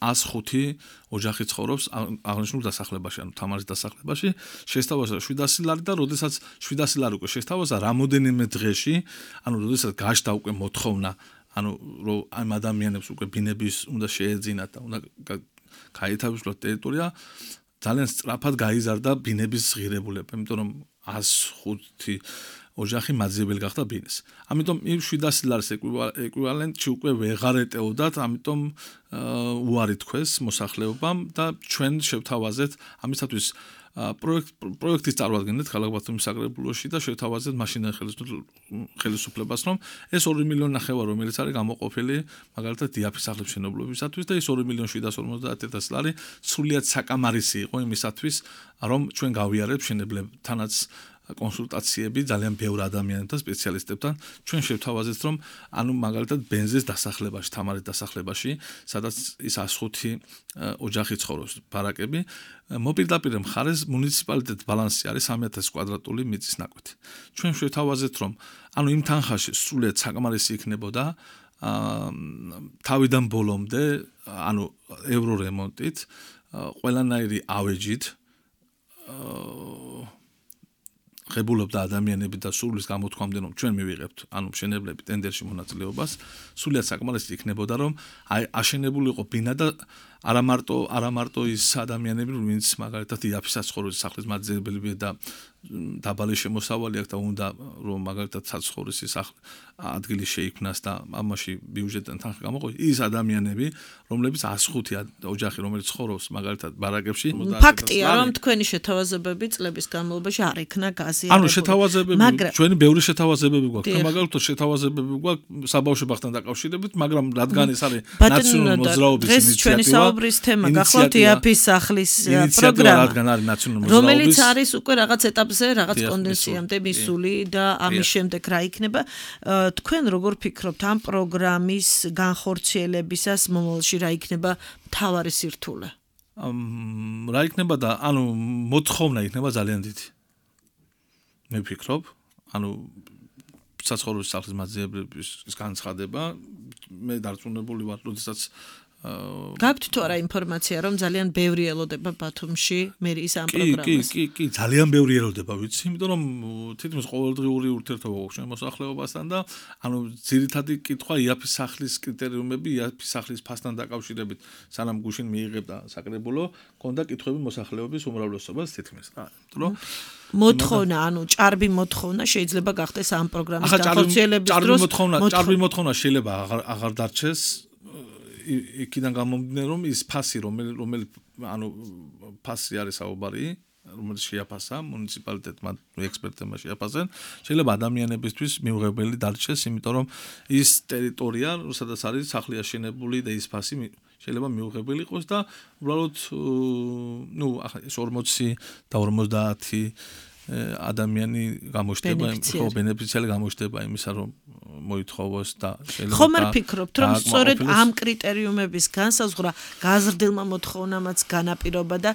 Speaker 5: 105 ოჯახი ცხოვრობს აღნიშნულ დასახლებაში, ანუ თამარის დასახლებაში, შესთავაზა 700 ლარი და როდესაც 700 ლარი უკვე შესთავაზა რამოდენიმე დღეში, ანუ როდესაც გაშდა უკვე მოთხოვნა, ანუ რომ ამ ადამიანებს უკვე ბინების უნდა შეეძინათ და უნდა გაითავისუფლოთ ტერიტორია ძალიან სწრაფად გაიზარდა ბინების ღირებულება, იმიტომ რომ 105 ოჯახი მაძიებელი გახდა ბინეს. ამიტომ იმ 700 ლარის ეკვივალენტში უკვე ვეღარ ეტეოდათ, ამიტომ უარი თქვეს მოსახლეობამ და ჩვენ შევთავაზეთ ამისათვის პროექტის წარმოადგენთ ქალაქ ბათუმის საკრებულოში და შევთავაზეთ მაშინდელ ხელისუფლებას, რომ ეს 2 მილიონი ნახევარი, რომელიც არის გამოყოფილი მაგალითად დიაფის სახლების მშენებლობისათვის და ეს 2.750.000 ლარი სრულიად საკამარისი იყო იმისათვის, რომ ჩვენ გავიარებთ მშენებლებთანაც კონსულტაციები ძალიან ბევრ ადამიანებთან, სპეციალისტებთან, ჩვენ შევთავაზეთ, რომ ანუ მაგალითად ბენზის დასახლებაში, თამარის დასახლებაში, სადაც ის 105 ოჯახი ცხოვრობს, ბარაკები, მოპირდაპირ მხარეს მუნიციპალიტეტის ბალანსი არის 3000 კვადრატული მიწის ნაკვეთი. ჩვენ შევთავაზეთ, რომ ანუ იმ თანხაში სრულიად საკმარისი იქნებოდა თავიდან ბოლომდე, ანუ ევრო რემონტით, ყველანაირი ავეჯით ღებულობდა ადამიანები და სრულის გამოთქვამდე რომ ჩვენ მივიღებთ ანუ მშენებლები ტენდერში მონაწილეობას სრულიად საკმარისი იქნებოდა რომ აშენებულიყო ბინა და არა მარტო ის ადამიანები ვინც მაგალითად იაფის საცხოვრების სახლის მაძიებელია და დაბალი შემოსავალი აქვს და უნდა რომ მაგალითად საცხოვრების ადგილი შეიქმნას და ამაში ბიუჯეტიდან თანხა გამოყოს ის ადამიანები რომლებიც 105 ოჯახი რომელიც ცხოვრობს მაგალითად ბარაკებში
Speaker 6: ფაქტია რომ თქვენი შეთავაზებები წლების განმავლობაში არ იქნა გაზიარებული
Speaker 5: ანუ შეთავაზებები ჩვენი ბევრი შეთავაზებები გვაქვს მაგალითად შეთავაზებები გვაქვს საბავშვებთან დაკავშირებით მაგრამ რადგან ეს არის ნაციონალური მოძრაობის ინიციატივა
Speaker 6: ბრის თემა გახლავთ იაფის სახლის პროგრამა
Speaker 5: რადგან არის ნაციონალური მოძრაობის
Speaker 6: რომელიც არის უკვე რაღაც ეტაპზე რაღაც კონდენსიამდე მისული და ამის შემდეგ რა იქნება თქვენ როგორ ფიქრობთ ამ პროგრამის განხორციელებისას მომავალში რა იქნება მთავარი სირთულე
Speaker 5: რა იქნება და ანუ მოთხოვნა იქნება ძალიან დიდი მე ვფიქრობ ანუ საცხოვრების სახლის მაძიებლების განცხადება მე დარწმუნებული ვარ როდესაც
Speaker 6: გაქვთ თუ არა ინფორმაცია რომ ძალიან ბევრი ელოდება ბათუმში მერიის ამ პროგრამას
Speaker 5: კი ძალიან ბევრი ელოდება ვიცი იმიტომ რომ თითქმის ყოველდღიური ურთიერთობა გვაქვს ჩვენ მოსახლეობასთან და ანუ ძირითადი კითხვა იაფის სახლის კრიტერიუმები იაფის სახლის ფასთან დაკავშირებით სანამ გუშინ მიიღებდა საკრებულო ქონდა კითხვები მოსახლეობის უმრავლესობას თითქმის რა იმიტომ რომ
Speaker 6: მოთხოვნა ანუ ჭარბი მოთხოვნა შეიძლება გახდეს ამ პროგრამის განხორციელების დროს
Speaker 5: ჭარბი მოთხოვნა შეიძლება აღარ დარჩეს იქიდან გამომდინარე რომ ის ფასი რომელი ანუ ფასი არის საუბარი რომელიც შეაფასა მუნიციპალიტეტმა ექსპერტებმა შეაფასენ შეიძლება ადამიანებისთვის მიუღებელი დარჩეს იმიტომ რომ ის ტერიტორია სადაც არის სახლი აშენებული და ის ფასი შეიძლება მიუღებელი იყოს და უბრალოდ ნუ ახლა 40 და 50 ადამიანი გამოჩნდება ხო ბენეფიციარი გამოჩნდება იმისა რომ მოითხოვოს და
Speaker 6: შეიძლება ხომ არ ფიქრობთ რომ სწორედ ამ კრიტერიუმების განსაზღვრა გაზრდილმა მოთხოვნამაც განაპირობა და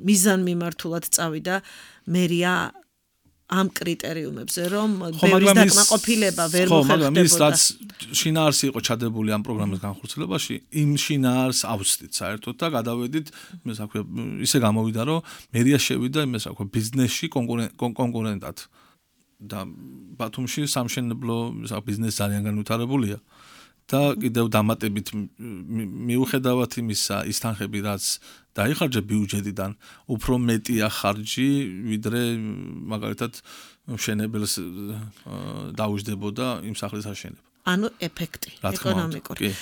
Speaker 6: მიზანმიმართულად წავიდა მერია ამ კრიტერიუმებზე რომ ბევრის დაკმაყოფილება ვერ მოხერხდებოდა
Speaker 5: მაგრამ ის რაც შინაარსი იყო ჩადებული ამ პროგრამის განხორციელებაში იმ შინაარს ავსდით საერთოდ და გადავედით ისე გამოვიდა რომ მერია შევიდა იმას აქვს ბიზნესში კონკურენტად და ბათუმში სამშენებლო ბიზნესი ძალიან განვითარებულია და კიდევ დამატებით მიუხედავად იმისა ის თანხები რაც დაიხარჯა ბიუჯეტიდან უფრო მეტია ხარჯი ვიდრე მაგალითად მშენებელს დაუჯდებოდა იმ სახლის აშენება
Speaker 6: ანუ ეფექტი ეკონომიკური.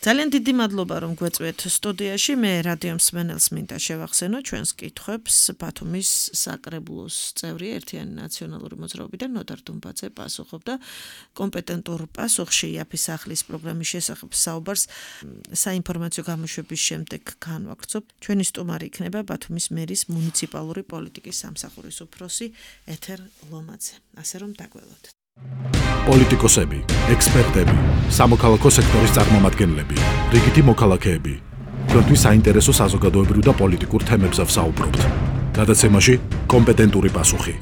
Speaker 6: ძალიან დიდი მადლობა რომ გვეწვიეთ სტუდიაში. მე რადიო მსმენელს მინდა შევახსენო ჩვენს კითხვებს ბათუმის საკრებულოს წევრი ერთიანი ნაციონალური მოძრაობიდან ნოდარ დუმბაძე პასუხობდა კომპეტენტურ პასუხში იაფის სახლის პროგრამის შესახებ საუბარს საინფორმაციო გამოშვების შემდეგ განვაგრძობ. ჩვენი სტუმარი იქნება ბათუმის მერის მუნიციპალური პოლიტიკის სამსახურის უფროსი ეთერ ლომაძე. ასე რომ დაგველოთ.
Speaker 9: პოლიტიკოსები, ექსპერტები, სამოქალაქო სექტორის წარმომადგენლები, რიგითი მოქალაქეები. თქვენთვის საინტერესო საზოგადოებრივ და პოლიტიკურ თემებზე ვსაუბრობთ. გადაცემაში კომპეტენტური პასუხი.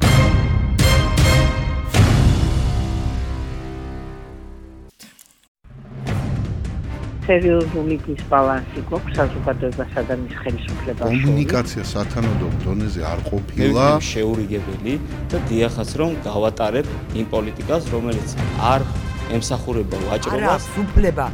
Speaker 1: სერიოზული დისბალანსი გვაქვს საზოგადოებასა და მის ხელისუფლებას შორის.
Speaker 2: კომუნიკაცია სათანადო დონეზე არ ყოფილა
Speaker 3: შეურიგებელი და დიახაც რომ გავატარებ იმ პოლიტიკას, რომელიც არ ემსახურება ვაჭრობას.
Speaker 4: არა, სუფლება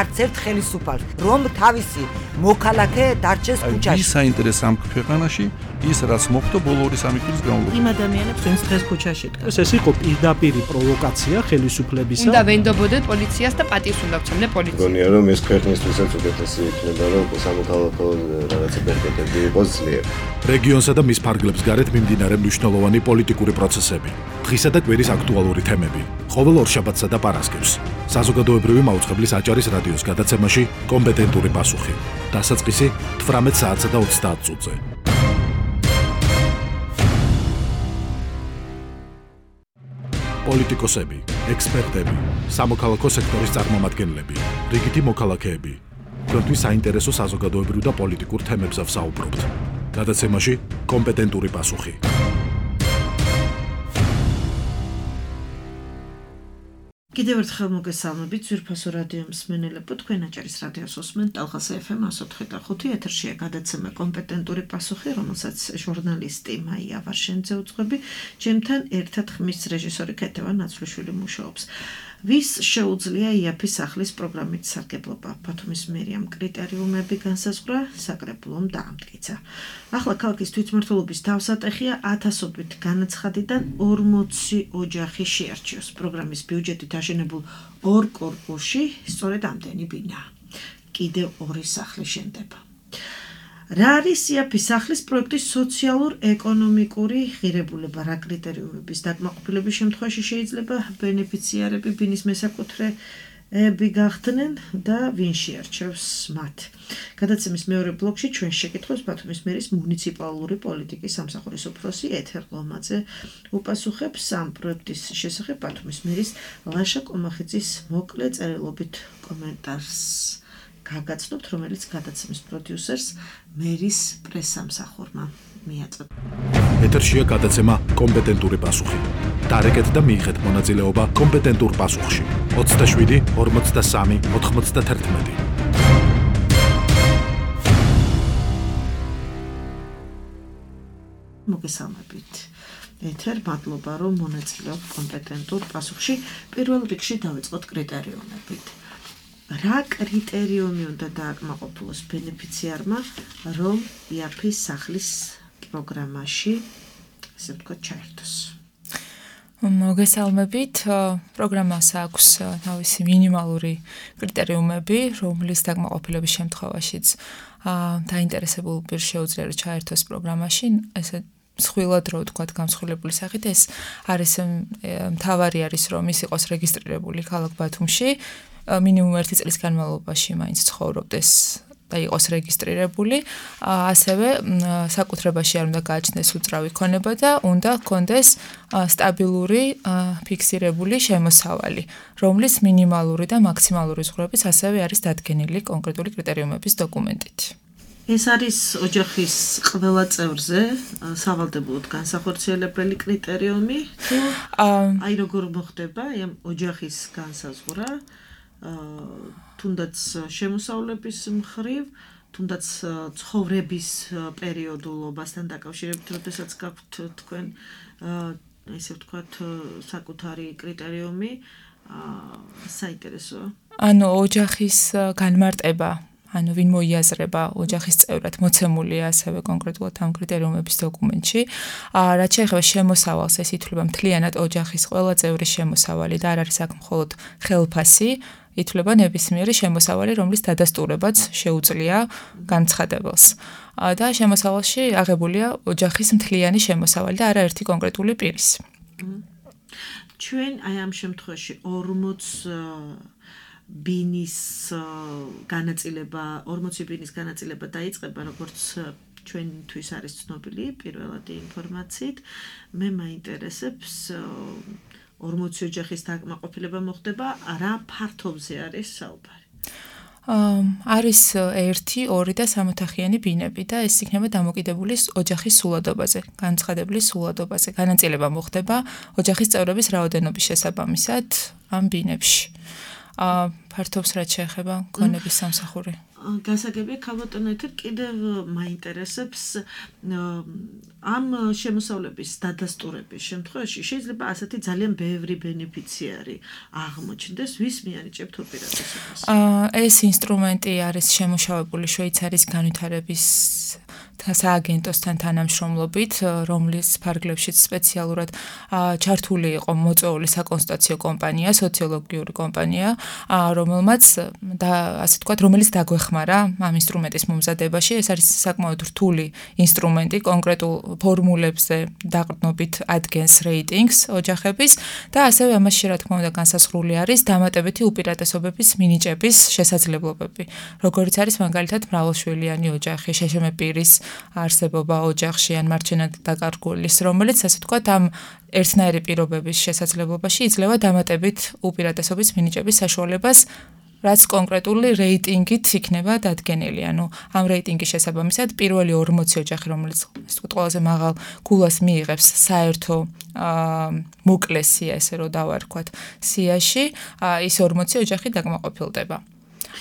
Speaker 4: არც ერთ ხელისუფალს, რომ თავისი მოქალაქე დარჩეს ქუჩაში.
Speaker 11: ვის საინტერესო ამ ქვეყანაში ის რაც მოხდა ბოლო 2-3 წლის განმავლობაში.
Speaker 6: იმ ადამიანებს ვინც დღეს ქუჩაში დგას.
Speaker 12: ეს იყო პირდაპირ პროვოკაცია ხელისუფლებისა.
Speaker 7: უნდა ვენდობოდეთ პოლიციას და პატივს უნდა გცემდნენ პოლიციას.
Speaker 8: მგონია რომ ეს ქვეყნისთვისაც უკეთესი იქნება რომ სამოქალაქო რაღაცა ბერკეტები იყოს ძლიერი.
Speaker 9: რეგიონსა და მის ფარგლებს გარეთ მიმდინარე მნიშვნელოვანი პოლიტიკური პროცესები. დღისა და კვირის აქტუალური თემები. ყოველ ორშაბათსა და პარასკევს. საზოგადოებრივი მაუწყებლის აჭარის რადიოს გადაცემაში კომპეტენტური პასუხი. დასაწყისი 18 საათსა და 30 წუთზე. პოლიტიკოსები, ექსპერტები, სამოქალაქო სექტორის წარმომადგენლები, რიგითი მოქალაქეები. თქვენთვის საინტერესო საზოგადოებრივ და პოლიტიკურ თემებზე ვსაუბრობთ. გადაცემაში კომპეტენტური პასუხი.
Speaker 6: კიდევ ერთხელ მოგესალმებით ძვირფასო რადიო მსმენელებო, თქვენ აჭარის რადიოს უსმენთ ტალღაზე FM 104.5 ეთერშია გადაცემა კომპეტენტური პასუხი, რომელსაც ჟურნალისტი მაია ვარშენიძე უძღვები, ჩემთან ერთად ხმის რეჟისორი ქეთევან ნაცვლიშვილი მუშაობს. ვის შეუძლია იაფის სახლის პროგრამით სარგებლობა, ბათუმის მერიამ კრიტერიუმები განსაზღვრა, საკრებულომ დაამტკიცა. ახლა ქალაქის თვითმმართველობის თავსატეხია 1000-ობით განაცხადიდან 40 ოჯახი შეარჩიოს. პროგრამის ბიუჯეტით აშენებულ 2 კორპუსში სწორედ ამდენი ბინაა. კიდევ 2 სახლი შენდება. რა არის იაფის სახლის პროექტის სოციალურ-ეკონომიკური ღირებულება, რა კრიტერიუმების დაკმაყოფილების შემთხვევაში შეიძლება ბენეფიციარები ბინის მესაკუთრეები გახდნენ და ვინ შეარჩევს მათ. გადაცემის მეორე ბლოკში ჩვენ შეკითხვებს ბათუმის მერის მუნიციპალური პოლიტიკის სამსახურის უფროსი ეთერ ლომაძე უპასუხებს ამ პროექტის შესახებ ბათუმის მერის ლაშა კომახიძის მოკლე წერილობით კომენტარს გაგაცნობთ, რომელიც გადაცემის პროდიუსერს მერის პრესსამსახურმა მიაწოდა.
Speaker 9: ეთერშია გადაცემა კომპეტენტური პასუხი. დარეკეთ და მიიღეთ მონაწილეობა კომპეტენტურ პასუხში. 27 43 91.
Speaker 6: მოგესალმებით. ეთერ, მადლობა რომ მონაწილეობთ კომპეტენტურ პასუხში. პირველ რიგში დავიწყოთ კრიტერიუმებით. რა კრიტერიუმი უნდა დააკმაყოფილოს ბენეფიციარმა, რომ იაფის სახლის პროგრამაში, ასე ვთქვათ, ჩაერთოს?
Speaker 13: მოგესალმებით. პროგრამას აქვს თავისი მინიმალური კრიტერიუმები, რომლის დაკმაყოფილების შემთხვევაშიც დაინტერესებულ პირს შეუძლია რომ ჩაერთოს პროგრამაში. ესე მსხვილად რო ვთქვათ, გამსხვილებული სახით ეს არის მთავარი არის რომ ის იყოს რეგისტრირებული ქალაქ ბათუმში. მინიმუმ 1 წლის განმავლობაში მაინც ცხოვრობდეს და იყოს რეგისტრირებული, ასევე საკუთრებაში არ უნდა გააჩნდეს უძრავი ქონება და უნდა ჰქონდეს სტაბილური ფიქსირებული შემოსავალი, რომლის მინიმალური და მაქსიმალური ზღვრებიც ასევე არის დადგენილი კონკრეტული კრიტერიუმების დოკუმენტით.
Speaker 6: ეს არის ოჯახის ყველა წევრზე სავალდებულოდ განსახორციელებელი კრიტერიუმი, თუ აი როგორ მოხდება ამ ოჯახის განსაზღვრა? თუნდაც შემოსავლების მხრივ, თუნდაც ცხოვრების პერიოდულობასთან დაკავშირებით, როდესაც გაქვთ თქვენ ესე ვთქვათ საკუთარი კრიტერიუმი, საინტერესოა.
Speaker 13: ანუ ოჯახის განმარტება, ანუ ვინ მოიაზრება ოჯახის წევრად მოცემულია ასევე კონკრეტულად ამ კრიტერიუმების დოკუმენტში. რაც შეეხება შემოსავალს, ეს ითვლება მთლიანად ოჯახის ყველა წევრის შემოსავალი და არ არის აქ მხოლოდ ხელფასი. ითვლება ნებისმიერი შემოსავალი, რომლის დადასტურებაც შეუძლია განცხადებელს. და შემოსავალში აღებულია ოჯახის მთლიანი შემოსავალი და არაერთი კონკრეტული პირის.
Speaker 6: ჩვენ აი ამ შემთხვევაში 40 ბინის განაწილება, 40 ბინის განაწილება დაიწყება, როგორც ჩვენთვის არის ცნობილი პირველადი ინფორმაციით. მე მაინტერესებს 40 ოჯახის დაკმაყოფილება მოხდება, რა ფართობზე არის საუბარი?
Speaker 13: არის 1, 2 და 3 ოთახიანი ბინები და ეს იქნება დამოკიდებული ოჯახის სულადობაზე, განცხადებული სულადობაზე. განაწილება მოხდება ოჯახის წევრების რაოდენობის შესაბამისად ამ ბინებში. ფართობს რაც შეეხება ქონების სამსახური.
Speaker 6: გასაგებია ქალბატონეთერ კიდევ მაინტერესებს ამ შემოსავლების დადასტურების შემთხვევაში შეიძლება ასეთი ძალიან ბევრი ბენეფიციარი აღმოჩნდეს, ვის მიანიჭებთ ოპერაციას?
Speaker 13: ეს ინსტრუმენტი არის შემუშავებული შვეიცარიის განვითარების სააგენტოსთან თანამშრომლობით, რომლის ფარგლებშიც სპეციალურად ჩართული იყო მოწვეული საკონსტიტუციო კომპანია, სოციოლოგიური კომპანია, რომელმაც ასე ვთქვათ, რომელიც დაგვეხმარა ამ ინსტრუმენტის მომზადებაში. ეს არის საკმაოდ რთული ინსტრუმენტი, კონკრეტულ ფორმულებზე დაყრდნობით ადგენს რეიტინგს ოჯახების და ასევე ამაში რა თქმა უნდა განსაზღვრული არის დამატებითი უპირატესობების მინიჭების შესაძლებლობები. როგორც არის მაგალითად მრავალშვილიანი ოჯახი, შეშმ პირის არსებობა ოჯახში ან მარჩენად დაკარგულის, რომელიც ასე ვთქვათ ამ ერთნაირი პირობების შესაძლებლობაში იძლევა დამატებით უპირატესობის მინიჭების საშუალებას, რაც კონკრეტული რეიტინგით იქნება დადგენილი. ანუ ამ რეიტინგის შესაბამისად პირველი 40 ოჯახი, რომელიც ასე ვთქვათ ყველაზე მაღალ გულას მიიღებს საერთო მოკლე სია, ესე რომ დავარქვათ, სიაში, ის 40 ოჯახი დაკმაყოფილდება.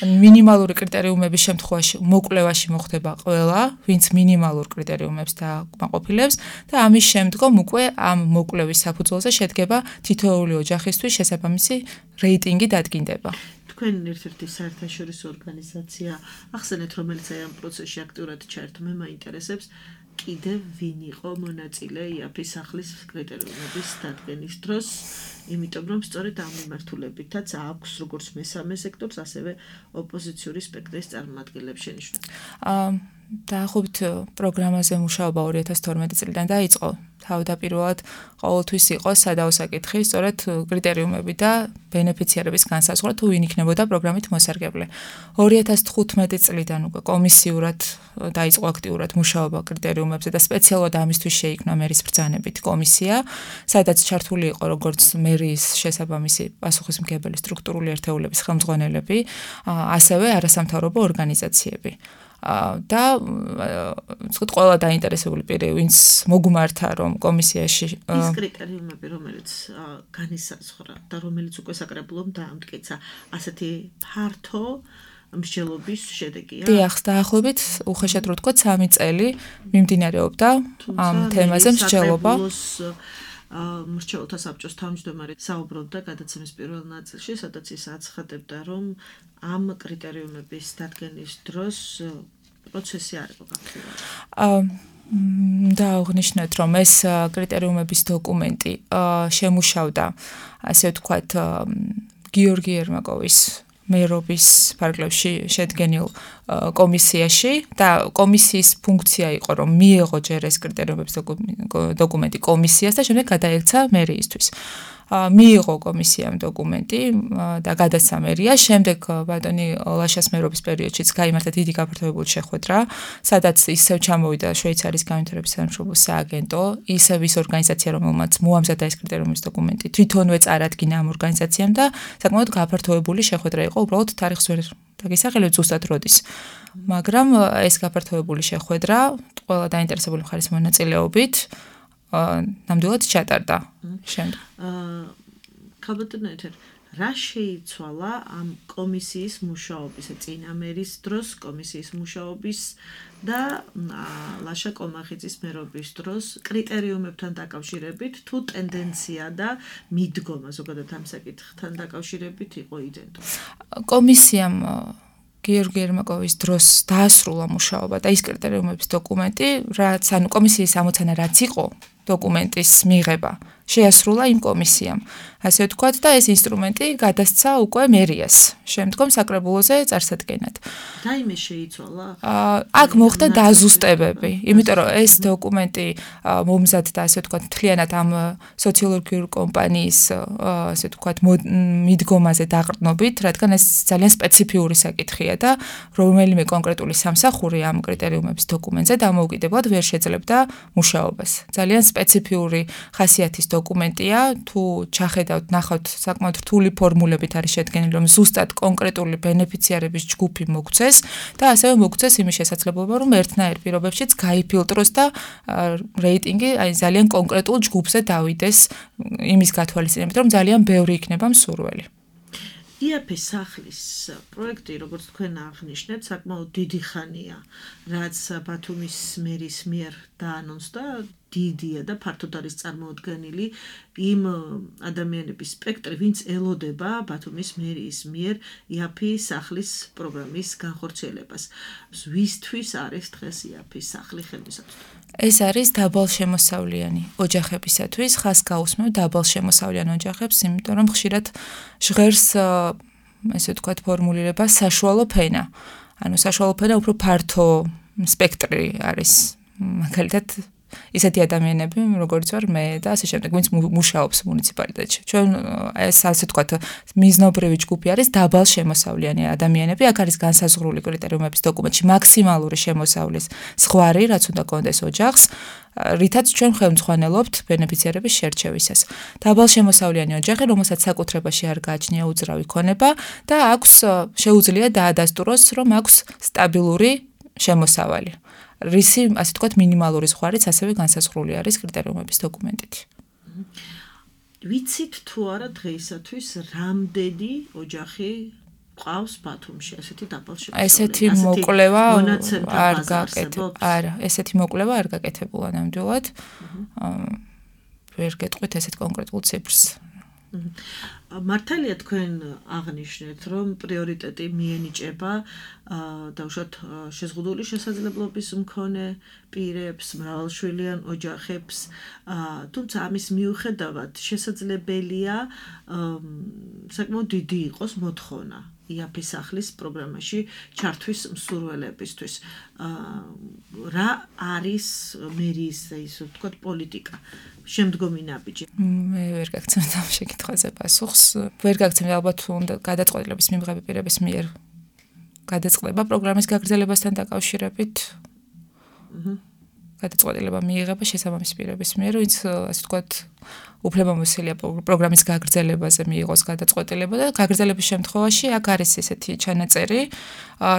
Speaker 13: მინიმალური კრიტერიუმების შემთხვევაში მოკვლევაში მოხდება ყველა, ვინც მინიმალურ კრიტერიუმებს დაკმაყოფილებს და ამის შემდგომ უკვე ამ მოკვლევის საფუძველზე შედგება თითოეული ოჯახისთვის შესაბამისი რეიტინგი დადგინდება.
Speaker 6: თქვენ ერთ-ერთი საერთაშორისო ორგანიზაცია ახსენეთ, რომელიც აი ამ პროცესში აქტიურად ჩაერთო, მე მაინტერესებს კიდევ ვინ იყო მონაწილე იაფის სახლის კრიტერიუმების დადგენის დროს, იმიტომ რომ სწორედ ამ მიმართულებითაც აქვს როგორც მესამე სექტორს, ასევე ოპოზიციური სპექტრის წარმომადგენლებს შენიშვნა.
Speaker 13: დაახლოებით პროგრამაზე მუშაობა 2012 წლიდან დაიწყო. თავდაპირველად ყოველთვის იყო სადავო საკითხი, სწორედ კრიტერიუმები და ბენეფიციარების განსაზღვრა, თუ ვინ იქნებოდა პროგრამით მოსარგებლე. 2015 წლიდან უკვე კომისიურად დაიწყო აქტიურად მუშაობა კრიტერიუმებზე და სპეციალურად ამისთვის შეიქმნა მერის ბრძანებით კომისია, სადაც ჩართული იყო როგორც მერის შესაბამისი პასუხისმგებელი სტრუქტურული ერთეულების ხელმძღვანელები, ასევე არასამთავრობო ორგანიზაციები. და ვთქვათ, ყველა დაინტერესებული პირი, ვინც მოგმართა, რომ კომისიაში
Speaker 6: ის კრიტერიუმები, რომელიც განისაზღვრა და რომელიც უკვე საკრებულომ დაამტკიცა, ასეთი ფართო მსჯელობის შედეგია.
Speaker 13: დიახ, დაახლოებით უხეშად რო ვთქვათ, 3 წელი მიმდინარეობდა ამ თემაზე მსჯელობა.
Speaker 6: მრჩეველთა საბჭოს თავმჯდომარე საუბრობდა გადაცემის პირველ ნაწილში, სადაც ის აცხადებდა, რომ ამ კრიტერიუმების დადგენის დროს პროცესი არ იყო გაქცეული.
Speaker 13: და აღნიშნეთ, რომ ეს კრიტერიუმების დოკუმენტი შემუშავდა, ასე ვთქვათ, გიორგი ერმაკოვის მერობის ფარგლებში შედგენილ კომისიაში და კომისიის ფუნქცია იყო, რომ მიეღო ჯერ ეს კრიტერიუმების დოკუმენტი კომისიას და შემდეგ გადაექცა მერიისთვის. მიიღო კომისიამ დოკუმენტი და გადაცა მერია. შემდეგ ბატონი ლაშას მერობის პერიოდშიც გაიმართა დიდი გაფართოებული შეხვედრა, სადაც ისევ ჩამოვიდა შვეიცარიის განვითარების სამშობლოს სააგენტო, ისევ ის ორგანიზაცია, რომელმაც მოამზადა ეს კრიტერიუმის დოკუმენტი, თვითონვე წარადგინა ამ ორგანიზაციამ და საკმაოდ გაფართოებული შეხვედრა იყო, უბრალოდ თარიღს ვერ დაგისახელებ ზუსტად როდის. მაგრამ ეს გაფართოებული შეხვედრა ყველა დაინტერესებული მხარის მონაწილეობით ნამდვილად ჩატარდა შემდეგ.
Speaker 6: ქალბატონეთერ, რა შეიცვალა ამ კომისიის მუშაობის, წინა მერის დროს კომისიის მუშაობის და ლაშა კომახიძის მერობის დროს კრიტერიუმებთან დაკავშირებით, თუ ტენდენცია და მიდგომა ზოგადად ამ საკითხთან დაკავშირებით იყო იდენტური?
Speaker 13: კომისიამ გიორგი ერმაკოვის დროს დაასრულა მუშაობა და ის კრიტერიუმების დოკუმენტი, რაც ანუ კომისიის ამოცანა რაც იყო დოკუმენტის მიღება, შეასრულა იმ კომისიამ. ასე ვთქვათ და ეს ინსტრუმენტი გადასცა უკვე მერიას, შემდგომ საკრებულოზე წარსადგენად.
Speaker 6: და იმე შეიცვალა?
Speaker 13: აქ მოხდა დაზუსტებები, იმიტომ რომ ეს დოკუმენტი მომზადდა, ასე ვთქვათ, მთლიანად ამ სოციოლოგიური კომპანიის, ასე ვთქვათ, მიდგომაზე დაყრდნობით, რადგან ეს ძალიან სპეციფიური საკითხია და რომელიმე კონკრეტული სამსახური ამ კრიტერიუმების დოკუმენტზე დამოუკიდებლად ვერ შეძლებდა მუშაობას. ძალიან სპეციფიური ხასიათის დოკუმენტია, თუ ჩახედავთ, ნახავთ, საკმაოდ რთული ფორმულებით არის შედგენილი, რომ ზუსტად კონკრეტული ბენეფიციარების ჯგუფი მოგცეს და ასევე მოგცეს იმის შესაძლებლობა, რომ ერთნაირ პირობებშიც გაიფილტროს და რეიტინგი აი ძალიან კონკრეტულ ჯგუფზე დავიდეს იმის გათვალისწინებით, რომ ძალიან ბევრი იქნება მსურველი.
Speaker 6: იაფის სახლის პროექტი, როგორც თქვენ აღნიშნეთ, საკმაოდ დიდი ხანია, რაც ბათუმის მერის მიერ დაანონსდა, დიდია და ფართოდ არის წარმოუდგენელი იმ ადამიანების სპექტრი, ვინც ელოდება ბათუმის მერის მიერ იაფის სახლის პროგრამის განხორციელებას. ვისთვის არის დღეს იაფის სახლი ხელმისაწვდომი?
Speaker 13: ეს არის დაბალშემოსავლიანი ოჯახებისათვის, ხას გაუსმევ დაბალშემოსავლიან ოჯახებს, იმიტომ რომ ხშირად ჟღერს ესე ვთქვათ ფორმულირება საშუალო ფენა. ანუ საშუალო ფენა უფრო ფართო სპექტრი არის. მაგალითად ისეთი ადამიანები, როგორც ვარ მე და ასე შემდეგ, ვინც მუშაობს მუნიციპალიტეტში. ჩვენ ეს ასე ვთქვათ მიზნობრივი ჯგუფი არის დაბალშემოსავლიანი ადამიანები. აქ არის განსაზღვრული კრიტერიუმების დოკუმენტში მაქსიმალური შემოსავლის ზღვარი, რაც უნდა კონდეს ოჯახს, რითაც ჩვენ ხელმძღვანელობთ ბენეფიციარების შერჩევისას. დაბალშემოსავლიანი ოჯახი, რომელსაც საკუთრებაში არ გააჩნია უძრავი ქონება და აქვს შეუძლია დაადასტუროს, რომ აქვს სტაბილური შემოსავალი. რისი, ასე ვთქვათ, მინიმალური ზღვარიც ასევე განსაზღვრული არის კრიტერიუმების დოკუმენტით.
Speaker 6: ვიცით თუ არა დღეისათვის რამდენი ოჯახი ყავს ბათუმში, ესეთი დაბალშემოსავლიანი?
Speaker 13: ესეთი მოკვლევა არ გაკეთებულა. არა, ესეთი მოკვლევა არ გაკეთებულა ნამდვილად. ვერ გეტყვით ესეთ კონკრეტულ ციფრს.
Speaker 6: მართალია თქვენ აღნიშნეთ, რომ პრიორიტეტი მიენიჭება დაუშვათ შეზღუდული შესაძლებლობის მქონე პირებს, მრავალშვილიან ოჯახებს, თუმცა ამის მიუხედავად შესაძლებელია საკმაოდ დიდი იყოს მოთხოვნა იაფის სახლის პროგრამაში ჩართვის მსურველებისთვის. რა არის მერის, ისე ვთქვათ, პოლიტიკა? შემდგომი ნაბიჯი.
Speaker 13: მე ვერ გაგცემთ ამ შეკითხვაზე პასუხს. ვერ გაგცემთ ალბათ უნდა გადაწყვეტილების მიღების პირების მიერ გადაწყდება პროგრამის გაგრძელებასთან დაკავშირებით. გადაწყვეტილება მიიღება შესაბამისი პირების მიერ, ვინც ასე ვთქვათ უფლებამოსილია პროგრამის გაგრძელებაზე მიიღოს გადაწყვეტილება და გაგრძელების შემთხვევაში აქ არის ესეთი ჩანაწერი,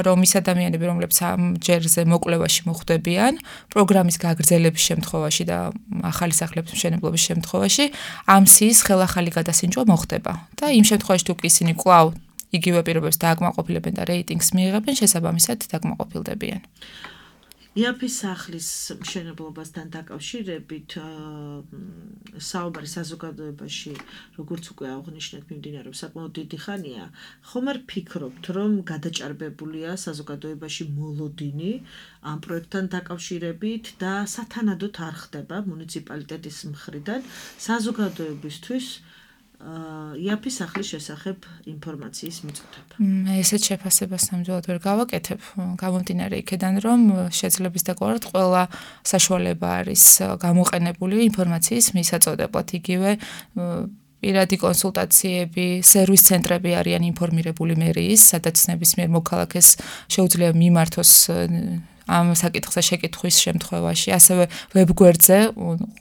Speaker 13: რომ ის ადამიანები, რომლებიც ამ ჯერზე მოკვლევაში მოხვდებიან, პროგრამის გაგრძელების შემთხვევაში და ახალი სახლების მშენებლობის შემთხვევაში ამ სიის ხელახალი გადასინჯვა მოხდება. და იმ შემთხვევაში თუ კი ისინი კვლავ იგივე პირობებს დააკმაყოფილებენ და რეიტინგს მიიღებენ, შესაბამისად დაკმაყოფილდებიან.
Speaker 6: იაფის სახლის მშენებლობასთან დაკავშირებით საუბარი საზოგადოებაში, როგორც უკვე აღნიშნეთ, მიმდინარეობს საკმაოდ დიდი ხანია. ხომ არ ფიქრობთ, რომ გადაჭარბებულია საზოგადოებაში მოლოდინი ამ პროექტთან დაკავშირებით და სათანადოდ არ ხდება მუნიციპალიტეტის მხრიდან საზოგადოებისთვის იაფის სახლის შესახებ ინფორმაციის მიწოდება?
Speaker 13: ესეთ შეფასებას ნამდვილად ვერ გავაკეთებ. გამომდინარე იქედან, რომ შეძლების დაკვირვად ყველა საშუალება არის გამოყენებული ინფორმაციის მისაწოდებლად. იგივე პირადი კონსულტაციები, სერვის ცენტრები არიან ინფორმირებული მერიის, სადაც ნებისმიერ მოქალაქეს შეუძლია მიმართოს ამ საკითხზე შეკითხვის შემთხვევაში, ასევე ვებგვერდზე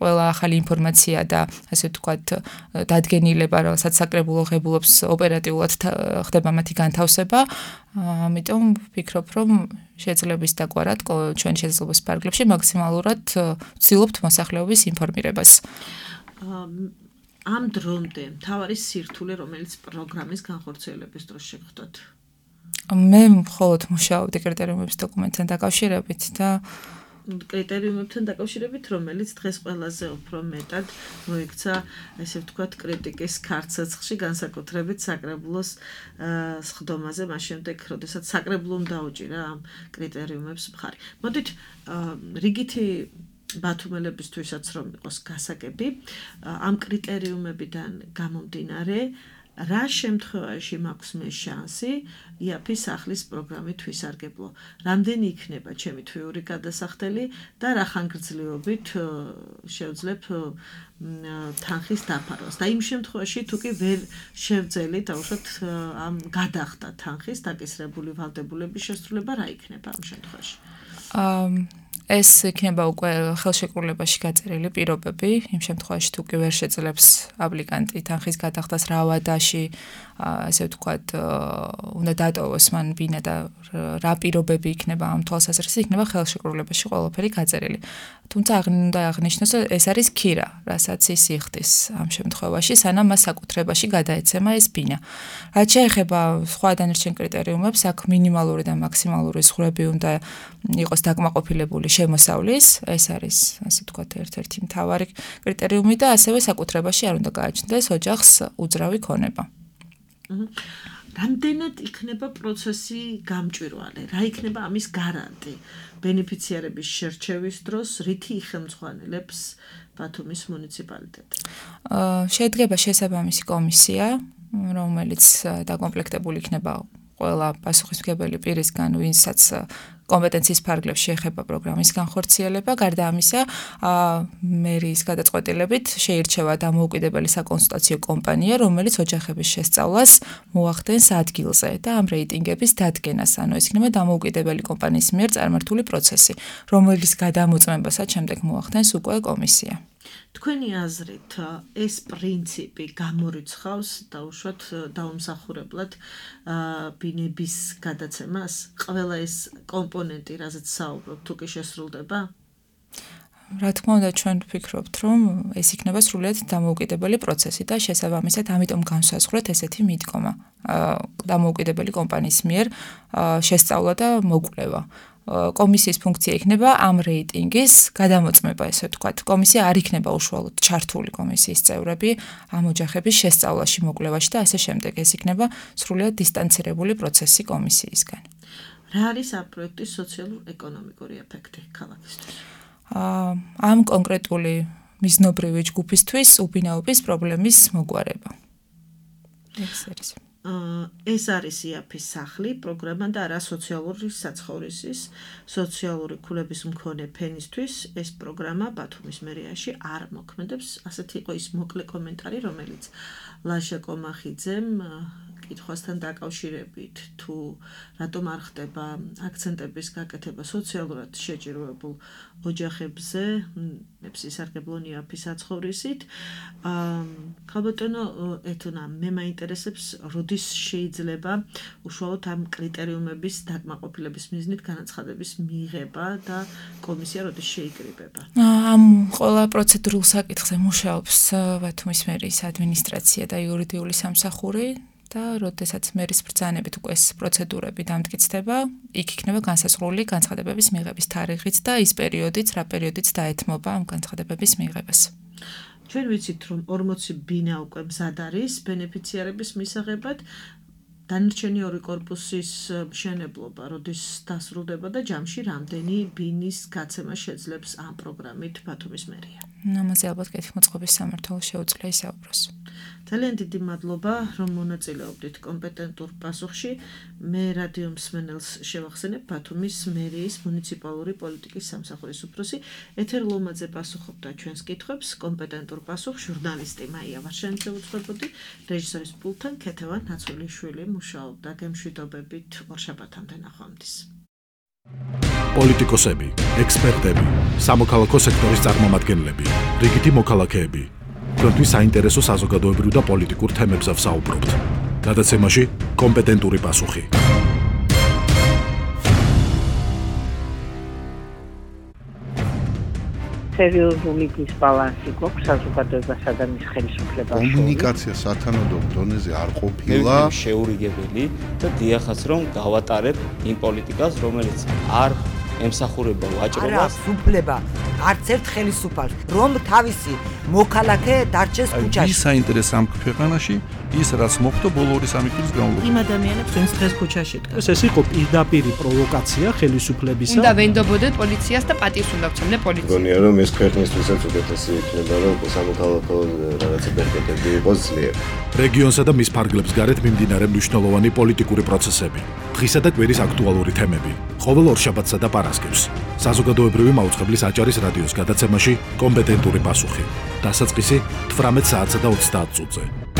Speaker 13: ყველა ახალი ინფორმაცია და ასე ვთქვათ დადგენილება, რასაც საკრებულო ღებულობს ოპერატიულად ხდება მათი განთავსება. ამიტომ ვფიქრობ, რომ შეძლების დაკვირვად ჩვენ შეძლების ფარგლებში მაქსიმალურად ვცდილობთ მოსახლეობის ინფორმირებას.
Speaker 6: ამ დრომდე მთავარი სირთულე, რომელიც პროგრამის განხორციელების დროს შეგხვდათ?
Speaker 13: მე მხოლოდ მუშაობდი კრიტერიუმების დოკუმენტთან დაკავშირებით და
Speaker 6: კრიტერიუმებთან დაკავშირებით, რომელიც დღეს ყველაზე უფრო მეტად მოიქცა, ესე ვთქვათ, კრიტიკის ქარცეცხლში, განსაკუთრებით საკრებულოს სხდომაზე, მას შემდეგ, როდესაც საკრებულომ დაუჭირა ამ კრიტერიუმებს მხარი. მოდით რიგითი ბათუმელებისთვისაც რომ იყოს გასაგები, ამ კრიტერიუმებიდან გამომდინარე, რა შემთხვევაში მაქვს მე შანსი იაფის სახლის პროგრამით ვისარგებლო? რამდენი იქნება ჩემი თვიური გადასახდელი და რა ხანგრძლივობით შევძლებ თანხის დაფარვას? და იმ შემთხვევაში თუ კი ვერ შევძელი დაუშვათ ამ გადახდა თანხის დაკისრებული ვალდებულების შესრულება, რა იქნება ამ შემთხვევაში?
Speaker 13: ეს იქნება უკვე ხელშეკრულებაში გაწერილი პირობები, იმ შემთხვევაში თუ კი ვერ შეძლებს აპლიკანტი თანხის გადახდას რა ვადაში, ასე ვთქვათ, უნდა დატოვოს მან ბინა და რა პირობები იქნება ამ თვალსაზრისით, იქნება ხელშეკრულებაში ყველაფერი გაწერილი. თუმცა უნდა აღნიშნოს, რომ ეს არის ქირა, რასაც ის იხდის ამ შემთხვევაში, სანამ მას საკუთრებაში გადაეცემა ეს ბინა. რაც შეეხება სხვა დანარჩენ კრიტერიუმებს, აქ მინიმალური და მაქსიმალური ზღვრები უნდა იყოს დაკმაყოფილებული შემოსავლის, ეს არის, ასე ვთქვათ, ერთ-ერთი მთავარი კრიტერიუმი და ასევე საკუთრებაში არ უნდა გააჩნდეს ოჯახს უძრავი ქონება.
Speaker 6: რამდენად იქნება პროცესი გამჭვირვალე? რა იქნება ამის გარანტი? ბენეფიციარების შერჩევის დროს რითი იხელმძღვანელებს ბათუმის მუნიციპალიტეტი?
Speaker 13: შედგება შესაბამისი კომისია, რომელიც დაკომპლექტებული იქნება ყველა პასუხისმგებელი პირისგან, ვინცაც კომპეტენციის ფარგლებში ეხება პროგრამის განხორციელება. გარდა ამისა, მერის გადაწყვეტილებით შეირჩევა დამოუკიდებელი საკონსულტაციო კომპანია, რომელიც ოჯახების შესწავლას მოახდენს ადგილზე და ამ რეიტინგების დადგენას, ანუ ეს იქნება დამოუკიდებელი კომპანიის მიერ წარმართული პროცესი, რომელიც გადამოწმებასაც შემდეგ მოახდენს უკვე კომისია.
Speaker 6: თქვენი აზრით, ეს პრინციპი გამორიცხავს დაუშვათ დაუმსახურებლად ბინების გადაცემას? ყველა ეს კომპონენტი, რაზეც საუბრობთ, თუ კი შესრულდება?
Speaker 13: რა თქმა უნდა, ჩვენ ვფიქრობთ, რომ ეს იქნება სრულიად დამოუკიდებელი პროცესი და შესაბამისად ამიტომ განსაზღვრეთ ესეთი მიდგომა დამოუკიდებელი კომპანიის მიერ შესწავლა და მოკვლევა. კომისიის ფუნქცია იქნება ამ რეიტინგის გადამოწმება, ესე ვთქვათ. კომისია არ იქნება უშუალოდ ჩართული კომისიის წევრები ამ ოჯახების შესწავლაში, მოკვლევაში და ასე შემდეგ. ეს იქნება სრულიად დისტანცირებული პროცესი კომისიისგან.
Speaker 6: რა არის ამ პროექტის სოციალურ-ეკონომიკური ეფექტი ქალაქისთვის?
Speaker 13: ამ კონკრეტული მიზნობრივი ჯგუფისთვის ubinaობის პრობლემის მოგვარება.
Speaker 6: ეს არის იაფის სახლი, პროგრამა და არა სოციალური საცხოვრისის, სოციალური ქულების მქონე ფენისთვის ეს პროგრამა ბათუმის მერიაში არ მოქმედებს. ასეთი იყო ის მოკლე კომენტარი, რომელიც ლაშა კომახიძემ კითხვასთან დაკავშირებით, თუ რატომ არ ხდება აქცენტების გაკეთება სოციალურად შეჭირვებულ ოჯახებზე, სისარგებლო იაფის საცხოვრისით. ქალბატონო ეთონა, მე მაინტერესებს, როდის შეიძლება უშუალოდ ამ კრიტერიუმების დაკმაყოფილების მიზნით განაცხადების მიღება და კომისია როდის შეიკრიბება?
Speaker 13: ამ ყველა პროცედურულ საკითხზე მუშაობს ბათუმის მერის ადმინისტრაცია და იურიდიული სამსახური და როდესაც მერის ბრძანებით უკვე ეს პროცედურები დამტკიცდება, იქ იქნება განსაზღვრული განცხადებების მიღების თარიღიც და ის პერიოდიც, რა პერიოდიც დაეთმობა ამ განცხადებების მიღებას.
Speaker 6: ჩვენ ვიცით, რომ 40 ბინა უკვე მზად არის ბენეფიციარების მისაღებად. დანარჩენი ორი კორპუსის მშენებლობა როდის დასრულდება და ჯამში რამდენი ბინის გაცემა შეძლებს ამ პროგრამით ბათუმის მერია?
Speaker 13: ამაზე ალბათ კეთილმოწყობის სამმართველო შეუძლია ისაუბროს.
Speaker 6: ძალიან დიდი მადლობა, რომ მონაწილეობდით კომპეტენტურ პასუხში. მე რადიო მსმენელს შევახსენებ ბათუმის მერიის მუნიციპალური პოლიტიკის სამსახურის უფროსი ეთერ ლომაძე პასუხობდა ჩვენს კითხვებს. კომპეტენტურ პასუხს ჟურნალისტი მაია ვარშენიძე უძღვებოდი, რეჟისორის პულტთან ქეთევან ნაცვლიშვილი მუშაობდა. გემშვიდობებით ორშაბათამდე ნახვამდის.
Speaker 9: პოლიტიკოსები, ექსპერტები, სამოქალაქო სექტორის წარმომადგენლები, რიგითი მოქალაქეები. თქვენთვის საინტერესო საზოგადოებრივ და პოლიტიკურ თემებზე ვსაუბრობთ. გადაცემაში კომპეტენტური პასუხი.
Speaker 1: სერიოზული დისბალანსი გვაქვს საზოგადოებასა და მის ხელისუფლებას.
Speaker 2: კომუნიკაცია სათანადო დონეზე არ ყოფილა
Speaker 3: შეურიგებელი და დიახაც რომ გავატარებ იმ პოლიტიკას, რომელიც არ ემსახურება ვაჭრობას.
Speaker 4: არა, უფლება არც ერთ ხელისუფალს, რომ თავისი მოქალაქე დარჩეს ქუჩაში.
Speaker 11: ვის საინტერესო ამ ქვეყანაში ის რაც მოხდა ბოლო 2-3 წლის განმავლობაში.
Speaker 6: იმ ადამიანებს, ვინც დღეს ქუჩაში დგას.
Speaker 12: ეს იყო პირდაპირი პროვოკაცია ხელისუფლებისა.
Speaker 7: უნდა ვენდობოდეთ პოლიციას და პატივს უნდა ვცემდე პოლიციას.
Speaker 8: მგონია რომ ეს ქვეყნისთვისაც უკეთესი იქნება, რომ სამოქალაქო რაღაცა ბერკეტები იყოს ძლიერი.
Speaker 9: რეგიონსა და მის ფარგლებს გარეთ მიმდინარე მნიშვნელოვანი პოლიტიკური პროცესები. დღისა და კვირის აქტუალური თემები. ყოველ ორშაბათსა და პარასკევს. საზოგადოებრივი მაუწყებლის აჭარის რადიოს გადაცემაში კომპეტენტური პასუხი. დასაწყისი 18 საათსა და 30 წუთზე.